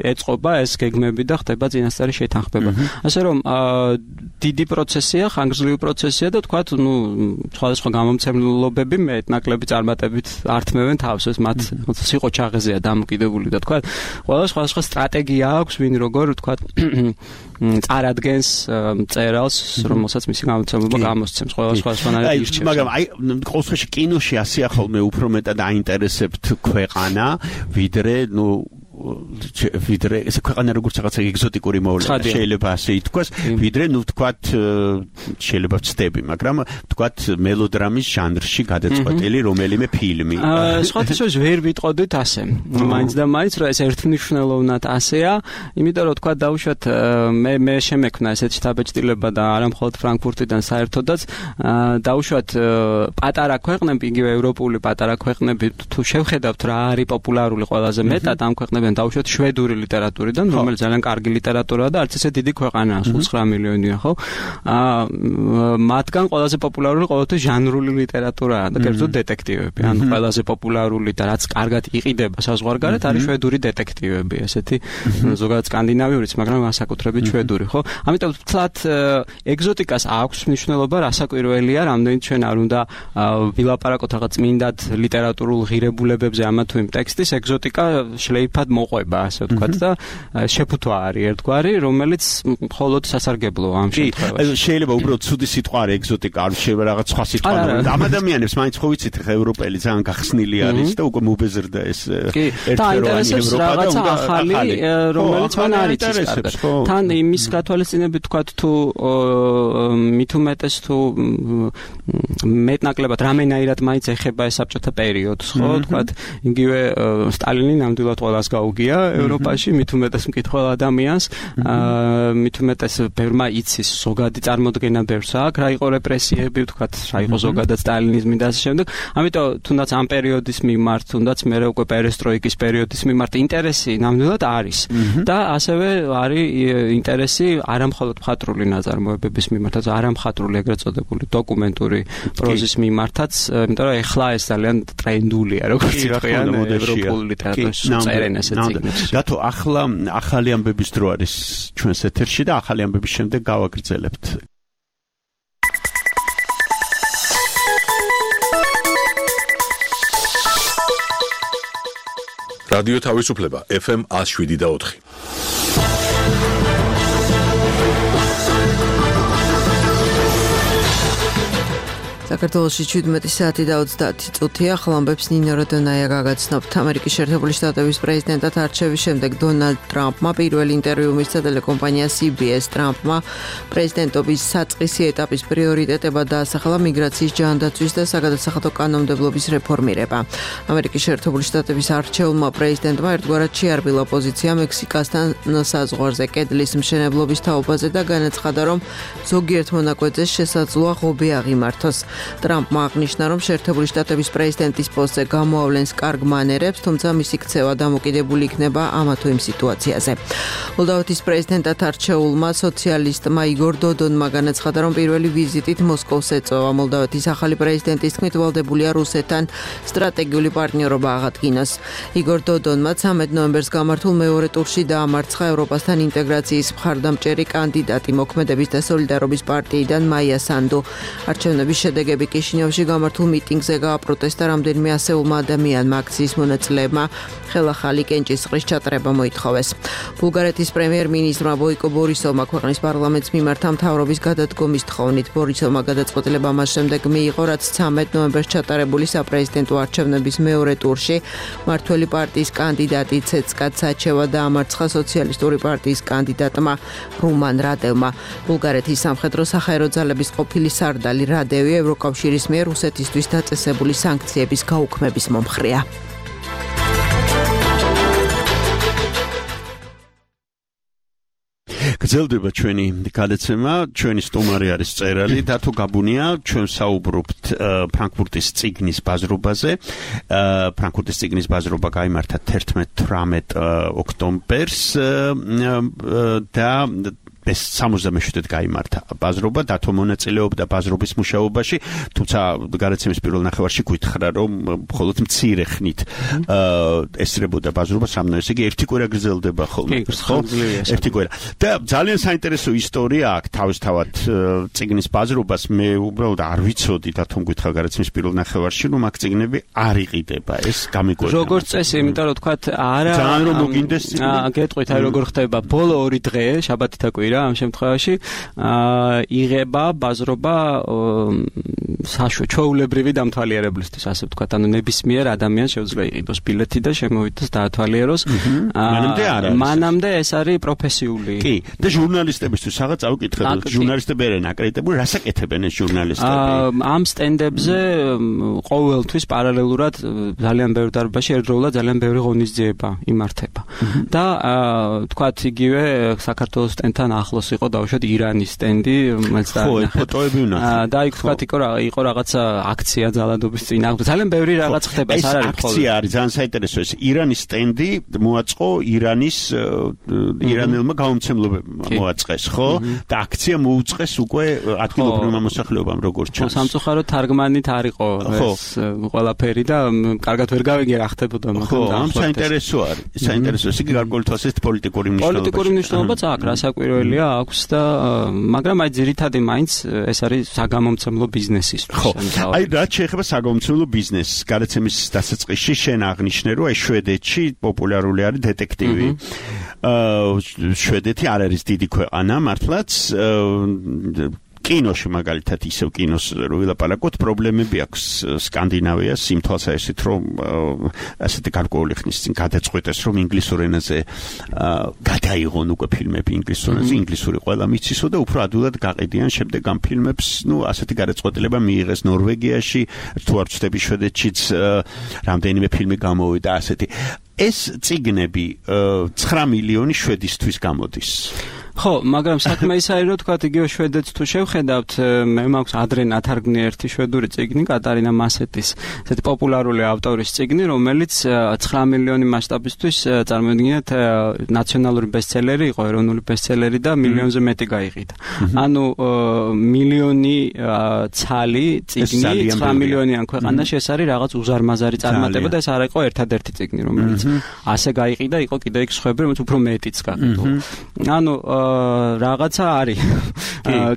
ეწყობა ეს გეგმები და ხდება წინასწარი შეთანხმება. ასე რომ დიდი პროცესია, ხანგრძლივი პროცესია და თქვა ნუ სხვადასხვა გამომცემლობები მეტნაკლები წარმატებით ართმევენ თავს, ეს მათ სიყო ჩაღეზია დამოკიდებული და თქვა ყველა სხვადასხვა სტრატეგია აქვს, ვინ როგორ თქვა წარადგენს წერალს, რომელსაც მისი გამოცემლობა გამოსცემს, ყველა სხვადასხვანაირად ირჩევს. მაგრამ აი ყოველ შემთხვევაში კინოში ასე ახალმე უფრო მეტად აინტერესებთ ქვეყანა, ვიდრე ნუ ვიდრე ეს ქვეყანა როგორც რაღაცა ეგზოტიკური მოვლენა შეიძლება ასე ითქვას, ვიდრე ნუ ვთქვათ შეიძლება ვწდები, მაგრამ ვთქვათ მელოდრამის ჟანრში გადაწყვეტილი რომელიმე ფილმი. სხვათაშორის ვერ ვიტყოდით ასე. მაინც და მაინც რომ ეს ერთმნიშვნელოვნად ასეა, იმიტომ რომ ვთქვათ დავუშვათ მე მე შემექმნა ესეთი შთაბეჭდილება და არა მხოლოდ ფრანკფურტიდან საერთოდაც დავუშვათ პატარა ქვეყნები, იგივე ევროპული პატარა ქვეყნები თუ შევხედავთ რა არის პოპულარული ყველაზე მეტად ამ ქვეყნებში დავუშვათ შვედური ლიტერატურიდან, რომელიც ძალიან კარგი ლიტერატურაა და არც ესე დიდი ქვეყანაა, სულ ცხრა მილიონია, ხო? აა მათგან ყველაზე პოპულარული ყოველთვის ჟანრული ლიტერატურაა და კერძოდ დეტექტივები. ანუ ყველაზე პოპულარული და რაც კარგად იყიდება საზღვარგარეთ არის შვედური დეტექტივები, ესეთი ზოგადად სკანდინავიურიც, მაგრამ განსაკუთრებით შვედური, ხო? ამიტომ ვთქვათ ეგზოტიკას აქვს მნიშვნელობა, რასაკვირველია, რამდენიც ჩვენ არ უნდა ვილაპარაკოთ რაღაც წმინდად ლიტერატურულ ღირებულებებზე ამა თუ იმ ტექსტის, ეგზოტიკა შლეიფად მოყვება, ასე ვთქვათ და შეფუთვა არის ერთგვარი, რომელიც მხოლოდ სასარგებლოა ამ შემთხვევაში. შეიძლება უბრალოდ ცუდი სიტყვა არის ეგზოტიკა, არ შეიძლება რაღაც სხვა სიტყვა. ამ ადამიანებს მაინც ხო ვიცით, ხა ევროპელი ძალიან გახსნილი არის და უკვე მობეზრდა ეს ერთეროვანი ევროპა და უნდა ახალი, რომელიც მან არ იცის კარგად. თან იმის გათვალისწინებით ვთქვათ, თუ მით უმეტეს თუ მეტნაკლებად რამენაირად მაინც ეხება ეს საბჭოთა პერიოდს, ხო, ვთქვათ, იგივე სტალინი ნამდვილად ყველას გაუგია ევროპაში, მით უმეტეს მკითხველ ადამიანს, მით უმეტეს ბევრმა იცის ზოგადი წარმოდგენა ბევრს აქვს, რა იყო რეპრესიები, ვთქვათ, რა იყო ზოგადად სტალინიზმი და ასე შემდეგ. ამიტომ თუნდაც ამ პერიოდის მიმართ, თუნდაც მე უკვე პერესტროიკის პერიოდის მიმართ ინტერესი ნამდვილად არის და ასევე არის ინტერესი არამხოლოდ მხატვრული ნაწარმოებების მიმართაც, არამხატვრული ეგრეთ წოდებული დოკუმენტური პროზის მიმართაც, იმიტომ რომ ეხლა ეს ძალიან ტრენდულია, როგორც ითქვიან ევროპულ ლიტერატურაში წერენ ესე წიგნებს. რატო ახლა ახალი ამბების დრო არის ჩვენს ეთერში და ახალი ამბების შემდეგ გავაგრძელებთ. რადიო თავისუფლება ეფ ემ one oh seven და four. საქართველოში შვიდმეტი საათი და ოცდაათი წუთია. ხლამბებს ნინო როდონაია გაგაცნობთ. ამერიკის შეერთებული შტატების პრეზიდენტად არჩევის შემდეგ დონალდ ტრამპმა პირველი ინტერვიუ მისცა ტელეკომპანია სი ბი ეს. ტრამპმა პრეზიდენტობის საწყისი ეტაპის პრიორიტეტებად დაასახელა მიგრაციის ჯანდაცვის და საგადასახადო კანონმდებლობის რეფორმირება. ამერიკის შეერთებული შტატების არჩეულმა პრეზიდენტმა ერთგვარად შეარბილა პოზიცია მექსიკასთან საზღვარზე კედლის მშენებლობის თაობაზე და განაცხადა, რომ ზოგიერთ მონაკვეთზე შესაძლოა ღობე აღიმართოს. ტრამპმა აღნიშნა, რომ შეერთებული შტატების პრეზიდენტის პოსტზე გამოავლენს კარგ მანერებს, თუმცა მისი ქცევა დამოკიდებული იქნება ამა თუ იმ სიტუაციაზე. მოლდოვეთის პრეზიდენტად არჩეულმა სოციალისტმა იგორ დოდონმა განაცხადა, რომ პირველი ვიზიტით მოსკოვს ეწევა. მოლდოვეთის ახალი პრეზიდენტის თქმით, ვალდებულია რუსეთთან სტრატეგიული პარტნიორობა აღადგინოს. იგორ დოდონმა ცამეტ ნოემბერს გამართულ მეორე ტურში დაამარცხა ევროპასთან ინტეგრაციის მხარდამჭერი კანდიდატი მოქმედების და სოლიდარობის პარტიიდან მაია სანდუ. არჩევნების შედეგები კიშინიოვში გამართულ მიტინგზე გააპროტესტა რამდენიმე ასეულმა ადამიანმა. აქციის მონაწილეებმა ხელახალი კენჭისყრის ჩატარება მოითხოვეს. ბულგარეთის პრემიერ-მინისტრმა ბოიკო ბორისოვმა ქვეყნის პარლამენტს მიმართა მთავრობის გადადგომის თხოვნით. ბორისოვმა გადაწყვეტილება მას შემდეგ მიიღო, რაც ცამეტ ნოემბერს ჩატარებული საპრეზიდენტო არჩევნების მეორე ტურში მართველი პარტიის კანდიდატი ცეცკა ცაჩევა დაამარცხა სოციალისტური პარტიის კანდიდატმა რუმან რადევმა. ბულგარეთის სამხედრო საჰაერო ძალების ყოფილი სარდალი რადევი ევროკავშირის მიერ რუსეთისთვის დაწესებული სანქციების გაუქმების მომხრეა. გრძელდება ჩვენი გადაცემა, ჩვენი სტუმარი არის მწერალი დათო გაბუნია, ჩვენ საუბრობთ ფრანკფურტის წიგნის ბაზრობაზე. ფრანკფურტის წიგნის ბაზრობა გაიმართა თერთმეტ თვრამეტ ოქტომბერს და ეს სამოცდამეშვიდედ გაიმართა ბაზრობა, დათო მონაწილეობდა ბაზრობის მუშაობაში, თუმცა გადაცემის პირველ ნახევარში გითხრა, რომ მხოლოდ მცირე ხნით ესწრებოდა ბაზრობას, რამოდენიც იგი ერთი კვირა გრძელდება ხოლმე, ხო? ერთი კვირა. და ძალიან საინტერესო ისტორია აქვს თავისთავად წიგნის ბაზრობას, მე უბრალოდ არ ვიცოდი დათომ გითხრა გადაცემის პირველ ნახევარში, რომ აქ წიგნები არ იყიდება, ეს გამიკვირდა. როგორც წესი, იმიტომ რომ თქვა არა ძალიან რომ მოგინდეს წიგნი. აა, გეტყვით, აი როგორ ხდება, ბოლო ორი დღე, შაბათი და კვირა ამ შემთხვევაში აა იღება ბაზრობა საშუალო ჩვეულებრივი დამთვალიერებლისთვის, ასე ვთქვათ, ანუ ნებისმიერ ადამიანს შეუძლია იყიდოს ბილეთი და შემოვიდეს დაათვალიეროს. მანამდე არ არის. მანამდე ეს არის პროფესიული. კი, და ჟურნალისტებისთვის რაღაც წავიკითხე, ჟურნალისტები არიან აკრედიტებული, რას აკეთებენ ეს ჟურნალისტები? ამ სტენდებზე ყოველთვის პარალელურად ძალიან ბევრ დარბაზში ერთდროულად ძალიან ბევრი ღონისძიება იმართება. და ვთქვათ, იგივე საქართველოს სტენდთან ახლოს იყო დავუშვათ ირანის სტენდი, რომელიც ხო, ფოტოები ვნახე. და იქ ვთქვათ, იყო იყო რაღაცა აქცია ძალადობის წინააღმდეგ. ძალიან ბევრი რაღაც ხდება, ეს არ არის მხოლოდ. აქცია არის ძალიან საინტერესო, ეს ირანის სტენდი მოაწყო ირანის ირანელმა გამომცემლებმა მოაწყეს, ხო? და აქცია მოუწყეს უკვე ადგილობრივმა მოსახლეობამ, როგორც ჩანს. სამწუხაროდ თარგმანით არ იყო ეს ყველაფერი და კარგად ვერ გავიგე რა ხდებოდა მაგრამ და საინტერესო არის. საინტერესო ის იგი გარკვეული თვალსაზრისით პოლიტიკური მნიშვნელობა. პოლიტიკური მნიშვნელობაც აქვს, რასაკვირველია აქვს და მაგრამ აი ძირითადად მაინც ეს არის საგამომცემლო ბიზნესის. ხო. აი რაც შეეხება საგამომცემლო ბიზნესს, გადაცემის დასაწყისში შენ აღნიშნე, რომ აი შვედეთში პოპულარული არის დეტექტივი. აა შვედეთი არ არის დიდი ქვეყანა, მართლაც კინოში მაგალითად ისევ კინოს რო ვილაპარაკოთ, პრობლემები აქვს სკანდინავიას იმ თვალსაზრისით, რომ ასეთი გარკვეული ხნის წინ გადაწყვეტეს, რომ ინგლისურ ენაზე გადაიღონ უკვე ფილმები ინგლისურ ენაზე, ინგლისური ყველა მიცისო და უფრო ადვილად გაყიდიან შემდეგ ამ ფილმებს, ნუ ასეთი გადაწყვეტილება მიიღეს ნორვეგიაში, თუ არ ვცდები შვედეთშიც რამდენიმე ფილმი გამოვიდა ასეთი. ეს წიგნები ცხრა მილიონი შვედისთვის გამოდის. ხო, მაგრამ საქმე ის არის, რომ თქვა იგივე შვედეთს თუ შევხედავთ, მე მაქვს ადრე ნათარგმნი ერთი შვედური წიგნი, კატარინა მასეტის, ესეთი პოპულარული ავტორის წიგნი, რომელიც ცხრა მილიონი მასშტაბისთვის წარმოიდგინეთ ნაციონალური ბესტსელერი იყო, ეროვნული ბესტსელერი და მილიონზე მეტი გაიყიდა. ანუ მილიონი ცალი წიგნი ცხრა მილიონიან ქვეყანაში ეს არის რაღაც უზარმაზარი წარმატება და ეს არ იყო ერთადერთი წიგნი, რომელიც ასე გაიყიდა, იყო კიდე იქ სხვები, რომელიც უფრო მეტიც გაყიდა. ანუ რაღაცა არის.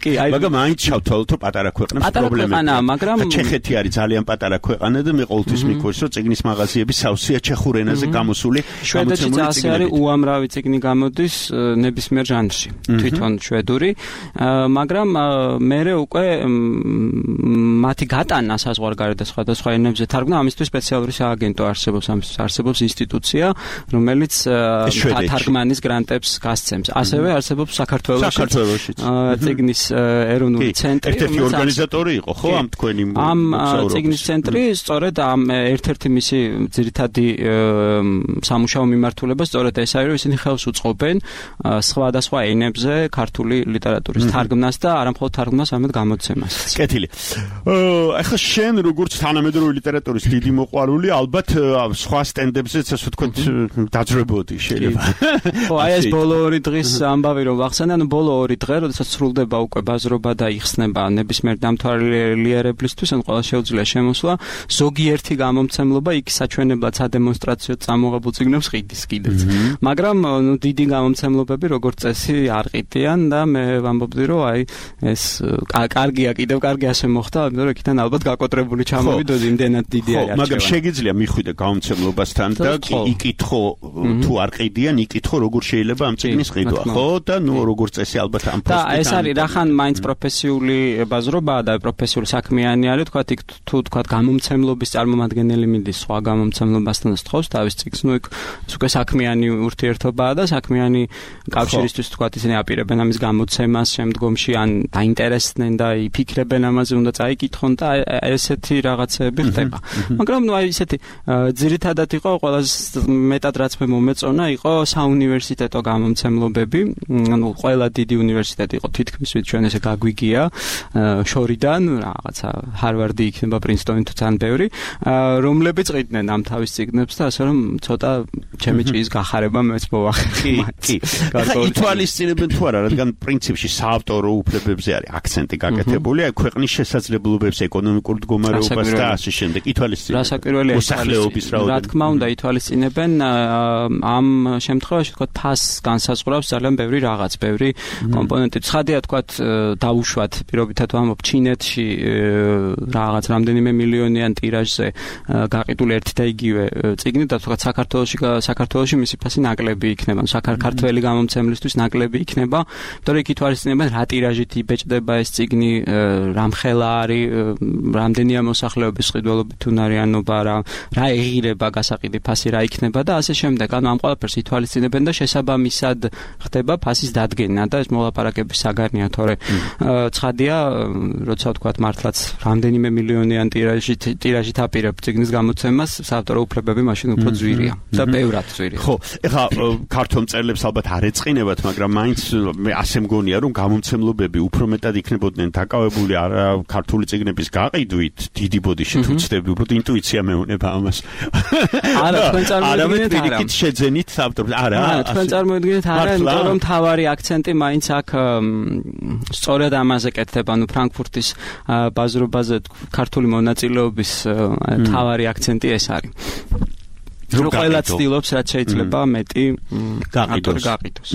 კი, აი მაგრამ მაინც ჩავთვალოთ, რომ პატარა ქვეყნებს პრობლემები. მაგრამ ჩეხეთი არის ძალიან პატარა ქვეყანა და მე ყოველთვის მიქოს, რომ წიგნის მაღაზიები სავსეა ჩეხურ ენაზე გამოსული. შვედეთშიც ასე არის, უამრავი წიგნი გამოდის ნებისმიერ ჟანრში, თვითონ შვედური, მაგრამ მერე უკვე მათი გატანა საზღვარგარეთ და სხვადასხვა ენებზე თარგმნა, ამისთვის სპეციალური სააგენტო არსებობს, ამისთვის არსებობს ინსტიტუცია, რომელიც თარგმანის გრანტებს გასცემს. ასევე არსებობს არსებობს საქართველოში. საქართველოში. წიგნის ეროვნული ცენტრი. ერთ-ერთი ორგანიზატორი იყო, ხო, ამ თქვენი ამ წიგნის ცენტრი სწორედ ამ ერთ-ერთი მისი ძირითადი სამუშაო მიმართულება სწორედ ეს არის, რომ ისინი ხელს უწყობენ სხვადასხვა ენებზე ქართული ლიტერატურის თარგმნას და არა მხოლოდ თარგმნას, არამედ გამოცემას. კეთილი. ახლა შენ როგორც თანამედროვე ლიტერატურის დიდი მოყვარული, ალბათ სხვა სტენდებზეც ასე ვთქვათ დაძრებოდი შეიძლება. ხო, აი ეს ბოლო ორი დღის ამბავი რომ ვახსენე, ანუ ბოლო ორი დღე, როდესაც სრულდება უკვე ბაზრობა და იხსნება ნებისმიერ დამთვალიერებლისთვის, ან ყველა შეუძლია შემოსვლა, ზოგიერთი გამომცემლობა იქ საჩვენებლად სადემონსტრაციო წამოღებულ წიგნებს ყიდის კიდეც. მაგრამ ნუ დიდი გამომცემლობები როგორც წესი არ ყიდიან და მე ვამბობდი რომ აი ეს კარგია, კიდევ კარგი ასე მოხდა, იმიტომ რომ იქიდან ალბათ გაკოტრებული ჩამოვიდო იმდენად დიდი არის. ხო, მაგრამ შეგიძლია მიხვიდე გამომცემლობასთან და იკითხო თუ არ ყიდიან, იკითხო როგორ შეიძლება ამ წიგნის ყიდვა, ხო? და ნუ როგორც წესი ალბათ ამ და ეს არის რახან მაინც პროფესიული ბაზრობაა და პროფესიული საქმიანი არის, თქვა იქ თუ თქვა გამომცემლობის წარმომადგენელი მიდის სხვა გამომცემლობასთან სწავს თავის წიგნს, ნუ იქ უკვე საქმიანი ურთიერთობაა და საქმიანი კავშირისთვის თქვა ისინი აპირებენ ამის გამოცემას შემდგომში ან დაინტერესდნენ და იფიქრებენ ამაზე, უნდა წაიკითხონ და ესეთი რაღაცები ხდება. მაგრამ ნუ აი ესეთი ძირითადად იყო ყველაზე მეტად რაც მე მომეწონა იყო საუნივერსიტეტო გამომცემლობები, ანუ ყველა დიდი უნივერსიტეტი იყო თითქმის ვით ჩვენ ესე გაგვიგია შორიდან რაღაცა ჰარვარდი იქნება პრინსტონი თუ თან ბევრი, რომლებიც ყიდნენ ამ თავის წიგნებს და ასე რომ ცოტა ჩემი ჭიის გახარება მეც მოვახერხე. კი, კი. ითვალისწინებენ თუ არა, რადგან პრინციპში საავტორო უფლებებზე არის აქცენტი გაკეთებული, აი ქვეყნის შესაძლებლობებს, ეკონომიკურ მდგომარეობას და ასე შემდეგ. ითვალისწინებენ. რასაკვირველია მოსახლეობის რაოდენობა. რა თქმა უნდა, ითვალისწინებენ ამ შემთხვევაში თქვა ფას განსაზღვრავს ძალიან ბევრი რაღაც, ბევრი კომპონენტი. ცხადია თქვა დაუშვათ პირობითად ვამბობ ჩინეთში რაღაც რამდენიმე მილიონიან ტირაჟზე გაყიდული ერთი და იგივე წიგნი და თქვა საქართველოში საქართველოში მისი ფასი ნაკლები იქნება, საქართველოს გამომცემლისთვის ნაკლები იქნება, იმიტომ რომ იქ ითვალისწინებენ რა ტირაჟით იბეჭდება ეს წიგნი, რამხელა არის, რამდენია მოსახლეობის ყიდველობით უნარიანობა, რა რა ეღირება გასაყიდი ფასი რა იქნება და ასე შემდეგ. ანუ ამ ყველაფერს ითვალისწინებენ და შესაბამისად ხდება ფასის დადგენა და ეს მოლაპარაკების საგანია, თორე ცხადია, როცა ვთქვათ მართლაც რამდენიმე მილიონიან ტირაჟით ტირაჟით აპირებ წიგნის გამოცემას, საავტორო უფლებები მაშინ უფრო ძვირია და ბევრად ძვირია. ხო, ეხლა ქართულ მწერლებს ალბათ არ ეწყინებათ, მაგრამ მაინც მე ასე მგონია, რომ გამომცემლობები უფრო მეტად იქნებოდნენ დაკავებული არა ქართული წიგნების გაყიდვით, დიდი ბოდიში თუ ცდები, უბრალოდ ინტუიცია მეუნება ამას. არა, თქვენ წარმოიდგინეთ არა. იქით შეძენით ავტორებს. არა, არა, თქვენ წარმოიდგინეთ არა, იმიტომ რომ თავარი აქცენტი მაინც აქ სწორედ ამაზე კეთდება, ანუ ფრანკფურტის ბაზრობაზე ქართული მონაწილეობის თავარი აქცენტი ეს არის. რომ ყველა ცდილობს რაც შეიძლება მეტი გაყიდოს. გაყიდოს.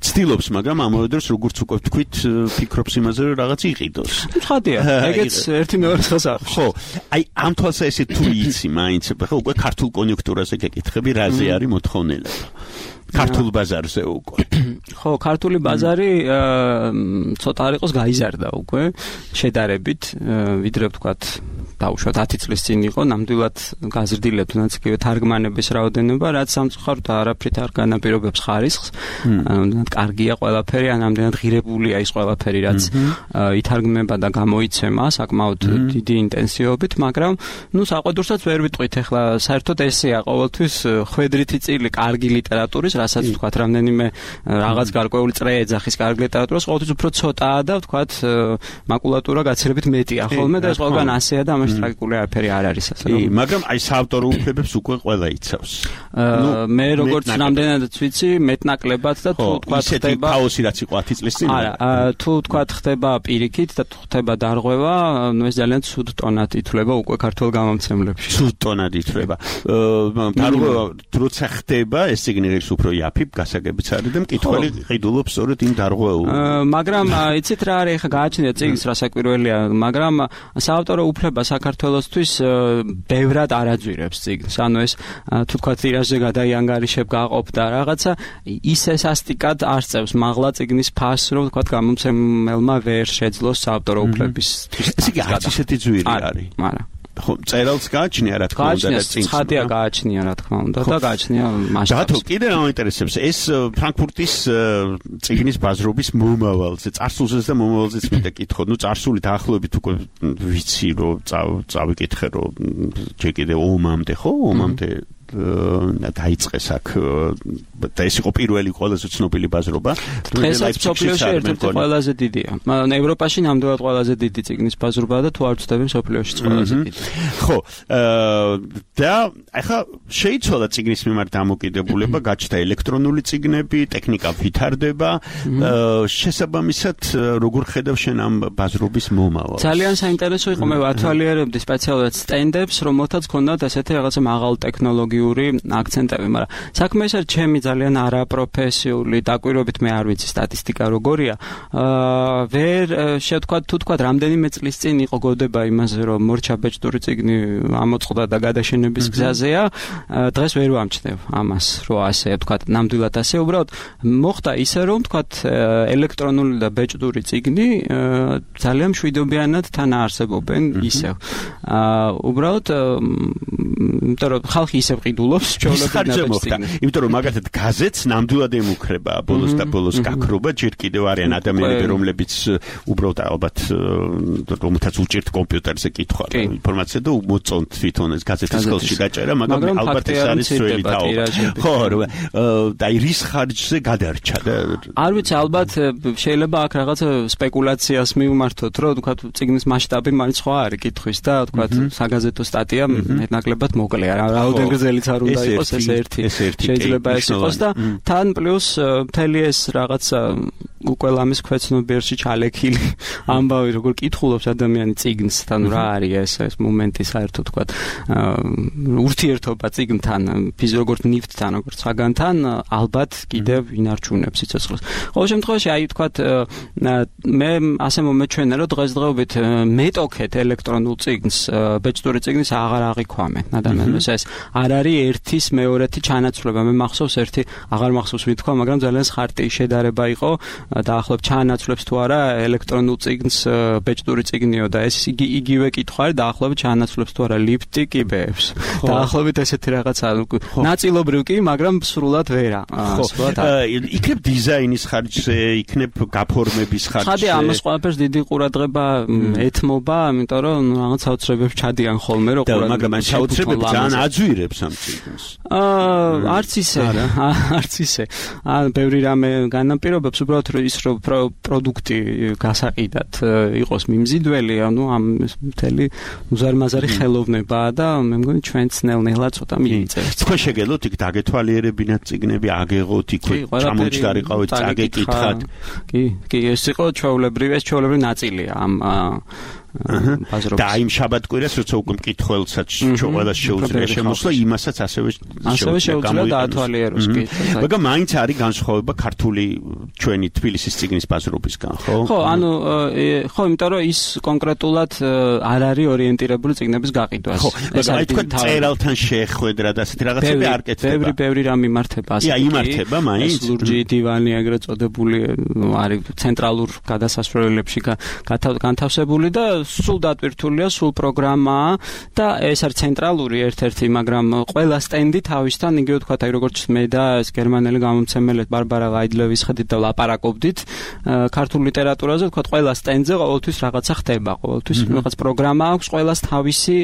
ცდილობს, მაგრამ ამავე დროს როგორც უკვე ვთქვით, ფიქრობს იმაზე, რომ რაღაც იყიდოს. ცხადია, ეგეც ერთი მეორეს ხელს არ. ხო, აი ამ თვალსაზრისით თუ იცი, მაინც ხო უკვე ქართულ კონიუნქტურაზე გეკითხები, რაზე არის მოთხოვნილება. ქართულ ბაზარზე უკვე. ხო, ქართული ბაზარი ცოტა არ იყოს გაიზარდა უკვე შედარებით, ვიდრე ვთქვათ დაუშვათ ათი წლის წინ იყო, ნამდვილად გაზრდილია თუნდაც იგივე თარგმანების რაოდენობა, რაც სამწუხაროდ არაფრით არ განაპირობებს ხარისხს. ნამდვილად კარგია ყველაფერი, ან ნამდვილად ღირებულია ის ყველაფერი, რაც ითარგმნება და გამოიცემა საკმაოდ დიდი ინტენსივობით, მაგრამ ნუ საყვედურსაც ვერ ვიტყვით, ახლა საერთოდ ესეა ყოველთვის ხვედრითი წილი კარგი ლიტერატურის, რასაც ვთქვათ, რამდენიმე რაღაც გარკვეული წრე ეძახის კარგი ლიტერატურას, ყოველთვის უფრო ცოტაა და ვთქვათ, მაკულატურა გაცილებით მეტია ხოლმე და ეს ყველგან ასეა და ამაში ტრაგიკული არაფერი არ არის ასე რომ. მაგრამ აი საავტორო უფლებებს უკვე ყველა იცავს. მე როგორც რამდენადაც ვიცი, მეტნაკლებად და თუ ვთქვათ ხდება ქაოსი რაც იყო ათი წლის წინ. არა, თუ ვთქვათ ხდება პირიქით და თუ ხდება დარღვევა, ნუ ეს ძალიან ცუდ ტონად ითვლება უკვე ქართულ გამომცემლებში. ცუდ ტონად ითვლება. დარღვევა როცა ხდება, ეს წიგნი ღირს უფრო იაფი, გასაგებიც არის და მკითხველი ყიდულობს სწორედ იმ დარღვეულ. მაგრამ იცით რა არის, ხა გააჩნია წიგნის რასაკვირველია, მაგრამ საავტორო უფლება საქართველოსთვის ბევრად არაძვირებს წიგნს. ანუ ეს თუ თქვა ტირაჟზე გადაიანგარიშებ გაყოფ და რაღაცა ისე სასტიკად არ წევს მაღლა წიგნის ფასს, რომ თქვა გამომცემელმა ვერ შეძლოს საავტორო უფლების. ეს იგი არც ისეთი ძვირი არის. არა. ხო, წერალს გააჩნია რა თქმა უნდა და წინს. ხადია გააჩნია რა თქმა უნდა და გააჩნია მასშტაბს. დათო, კიდე რა მაინტერესებს, ეს ფრანკფურტის წიგნის ბაზრობის მომავალზე, წარსულზეც და მომავალზეც მინდა კითხო. ნუ წარსული დაახლოებით უკვე ვიცი რომ წავიკითხე რომ ჯერ კიდე ომამდე ხო, ომამდე დაიწყეს აქ და ეს იყო პირველი ყველაზე ცნობილი ბაზრობა. დღესაც მსოფლიოში ერთ-ერთი ყველაზე დიდია. ევროპაში ნამდვილად ყველაზე დიდი წიგნის ბაზრობაა და თუ არ ვცდები მსოფლიოშიც ყველაზე დიდი. ხო, და ახლა შეიცვალა წიგნის მიმართ დამოკიდებულება, გაჩნდა ელექტრონული წიგნები, ტექნიკა ვითარდება. შესაბამისად, როგორ ხედავ შენ ამ ბაზრობის მომავალს? ძალიან საინტერესო იყო, მე ვათვალიერებდი სპეციალურად სტენდებს, რომელთაც ჰქონდათ ესეთი რაღაცა მაღალ ტექნოლოგიური აქცენტები, მაგრამ საქმე ეს არის ჩემი ძალიან არაპროფესიული დაკვირვებით, მე არ ვიცი სტატისტიკა როგორია. აა ვერ შევთქვათ თუ თქვათ რამდენიმე წლის წინ იყო გოდება იმაზე, რომ მორჩა ბეჭდური წიგნი ამოწყდა და გადაშენების გზაზეა. დღეს ვერ ვამჩნევ ამას, რომ ასე თქვათ, ნამდვილად ასე. უბრალოდ მოხდა ისე, რომ თქვათ ელექტრონული და ბეჭდური წიგნი ძალიან მშვიდობიანად თან არსებობენ ისევ. აა უბრალოდ იმიტომ რომ ხალხი ისევ ყიდულობს ჩვეულებრივ მოხდა. იმიტომ რომ მაგათად გაზეთს ნამდვილად ემუქრება ბოლოს და ბოლოს გაქრობა, ჯერ კიდევ არიან ადამიანები, რომლებიც უბრალოდ ალბათ რომელთაც უჭირთ კომპიუტერზე კითხვა და ინფორმაცია და მოწონთ თვითონ ეს გაზეთის ხელში გაჭერა, მაგრამ ალბათ ეს არის ძველი თაობა. ხო, და რის ხარჯზე გადარჩა და არ ვიცი, ალბათ შეიძლება აქ რაღაც სპეკულაციას მივმართოთ, რომ თქვათ წიგნის მასშტაბი მაინც სხვა არის კითხვის და თქვათ საგაზეთო სტატია მეტნაკლებად მოკლეა. რაოდენ გრძელიც არ უნდა იყოს ეს ერთი. შეიძლება ეს იყოს და თან პლუს მთელი ეს რაღაცა უკვე ლამის ქვეცნობიერში ჩალექილი ამბავი, როგორ კითხულობს ადამიანი წიგნს, თან რა არის ეს ეს მომენტი საერთოდ თქვათ ურთიერთობა წიგნთან, ფიზიოგორთ ნივთთან, როგორც საგანთან, ალბათ კიდევ ინარჩუნებს სიცოცხლეს. ყოველ შემთხვევაში, აი თქვათ მე ასე მომეჩვენა, რომ დღესდღეობით მეტოქეთ ელექტრონულ წიგნს, ბეჭდური წიგნის აღარ აღიქვამენ ადამიანებს. ეს არ არის ერთის მეორეთი ჩანაცვლება. მე მახსოვს ერთი, აღარ მახსოვს ვით თქვა, მაგრამ ძალიან ხარტი შედარება იყო. დაახლოებით ჩაანაცვლებს თუ არა ელექტრონულ წიგნს ბეჭდური წიგნიო და ეს იგი იგივე კითხვა არის, დაახლოებით ჩაანაცვლებს თუ არა ლიფტი კიბეებს. დაახლოებით ესეთი რაღაცა ნაწილობრივ კი, მაგრამ სრულად ვერა. იქნებ დიზაინის ხარჯზე, იქნებ გაფორმების ხარჯზე. ხადია ამას ყველაფერს დიდი ყურადღება ეთმობა, იმიტომ რომ რაღაც საოცრებებს ჩადიან ხოლმე, რომ ყურადღება. მაგრამ ამ საოცრებებს ძალიან აძვირებს ამ წიგნს. აა არც ისე, არც ისე. ან ბევრი რამე განაპირობებს, უბრალოდ ის რომ პროდუქტი გასაყიდად იყოს მიმზიდველი, ანუ ამ მთელი უზარმაზარი ხელოვნებაა და მე მგონი ჩვენ ძნელნელა ცოტა მიიწევს. თქვენ შეგელოთ იქ დაგეთვალიერებინათ წიგნები, აგეღოთ იქ ჩამოჭდარიყავით, წაგეკითხათ. კი, კი, ეს იყო ჩვეულებრივი, ეს ჩვეულებრივი ნაწილია ამ და იმ შაბათკვირას როცა უკვე მკითხველსაც ყველას შეუძლია შემოსვლა, იმასაც ასევე ასევე შეუძლია დაათვალიეროს კი. მაგრამ მაინც არის განსხვავება ქართული ჩვენი თბილისის წიგნის ბაზრობისგან, ხო? ხო, ანუ ხო, იმიტომ რომ ის კონკრეტულად არ არის ორიენტირებული წიგნების გაყიდვას. ხო, მაგრამ აი თქვა წერალთან შეხვედრა და ასეთი რაღაცები არ კეთდება. ბევრი ბევრი რამ იმართება ასე. კი, იმართება მაინც. ლურჯი დივანი ეგრეთ წოდებული არის ცენტრალურ გადასასვლელებში განთავსებული და სულ დატვირთულია, სულ პროგრამაა და ეს არის ცენტრალური ერთ-ერთი, მაგრამ ყველა სტენდი თავისთან, იგივე თქვა, აი როგორც მე და ეს გერმანელი გამომცემელი ბარბარა ვაიდლევის ხედით და ლაპარაკობდით ქართულ ლიტერატურაზე, თქვა, ყველა სტენდზე ყოველთვის რაღაცა ხდება, ყოველთვის რაღაც პროგრამა აქვს, ყველას თავისი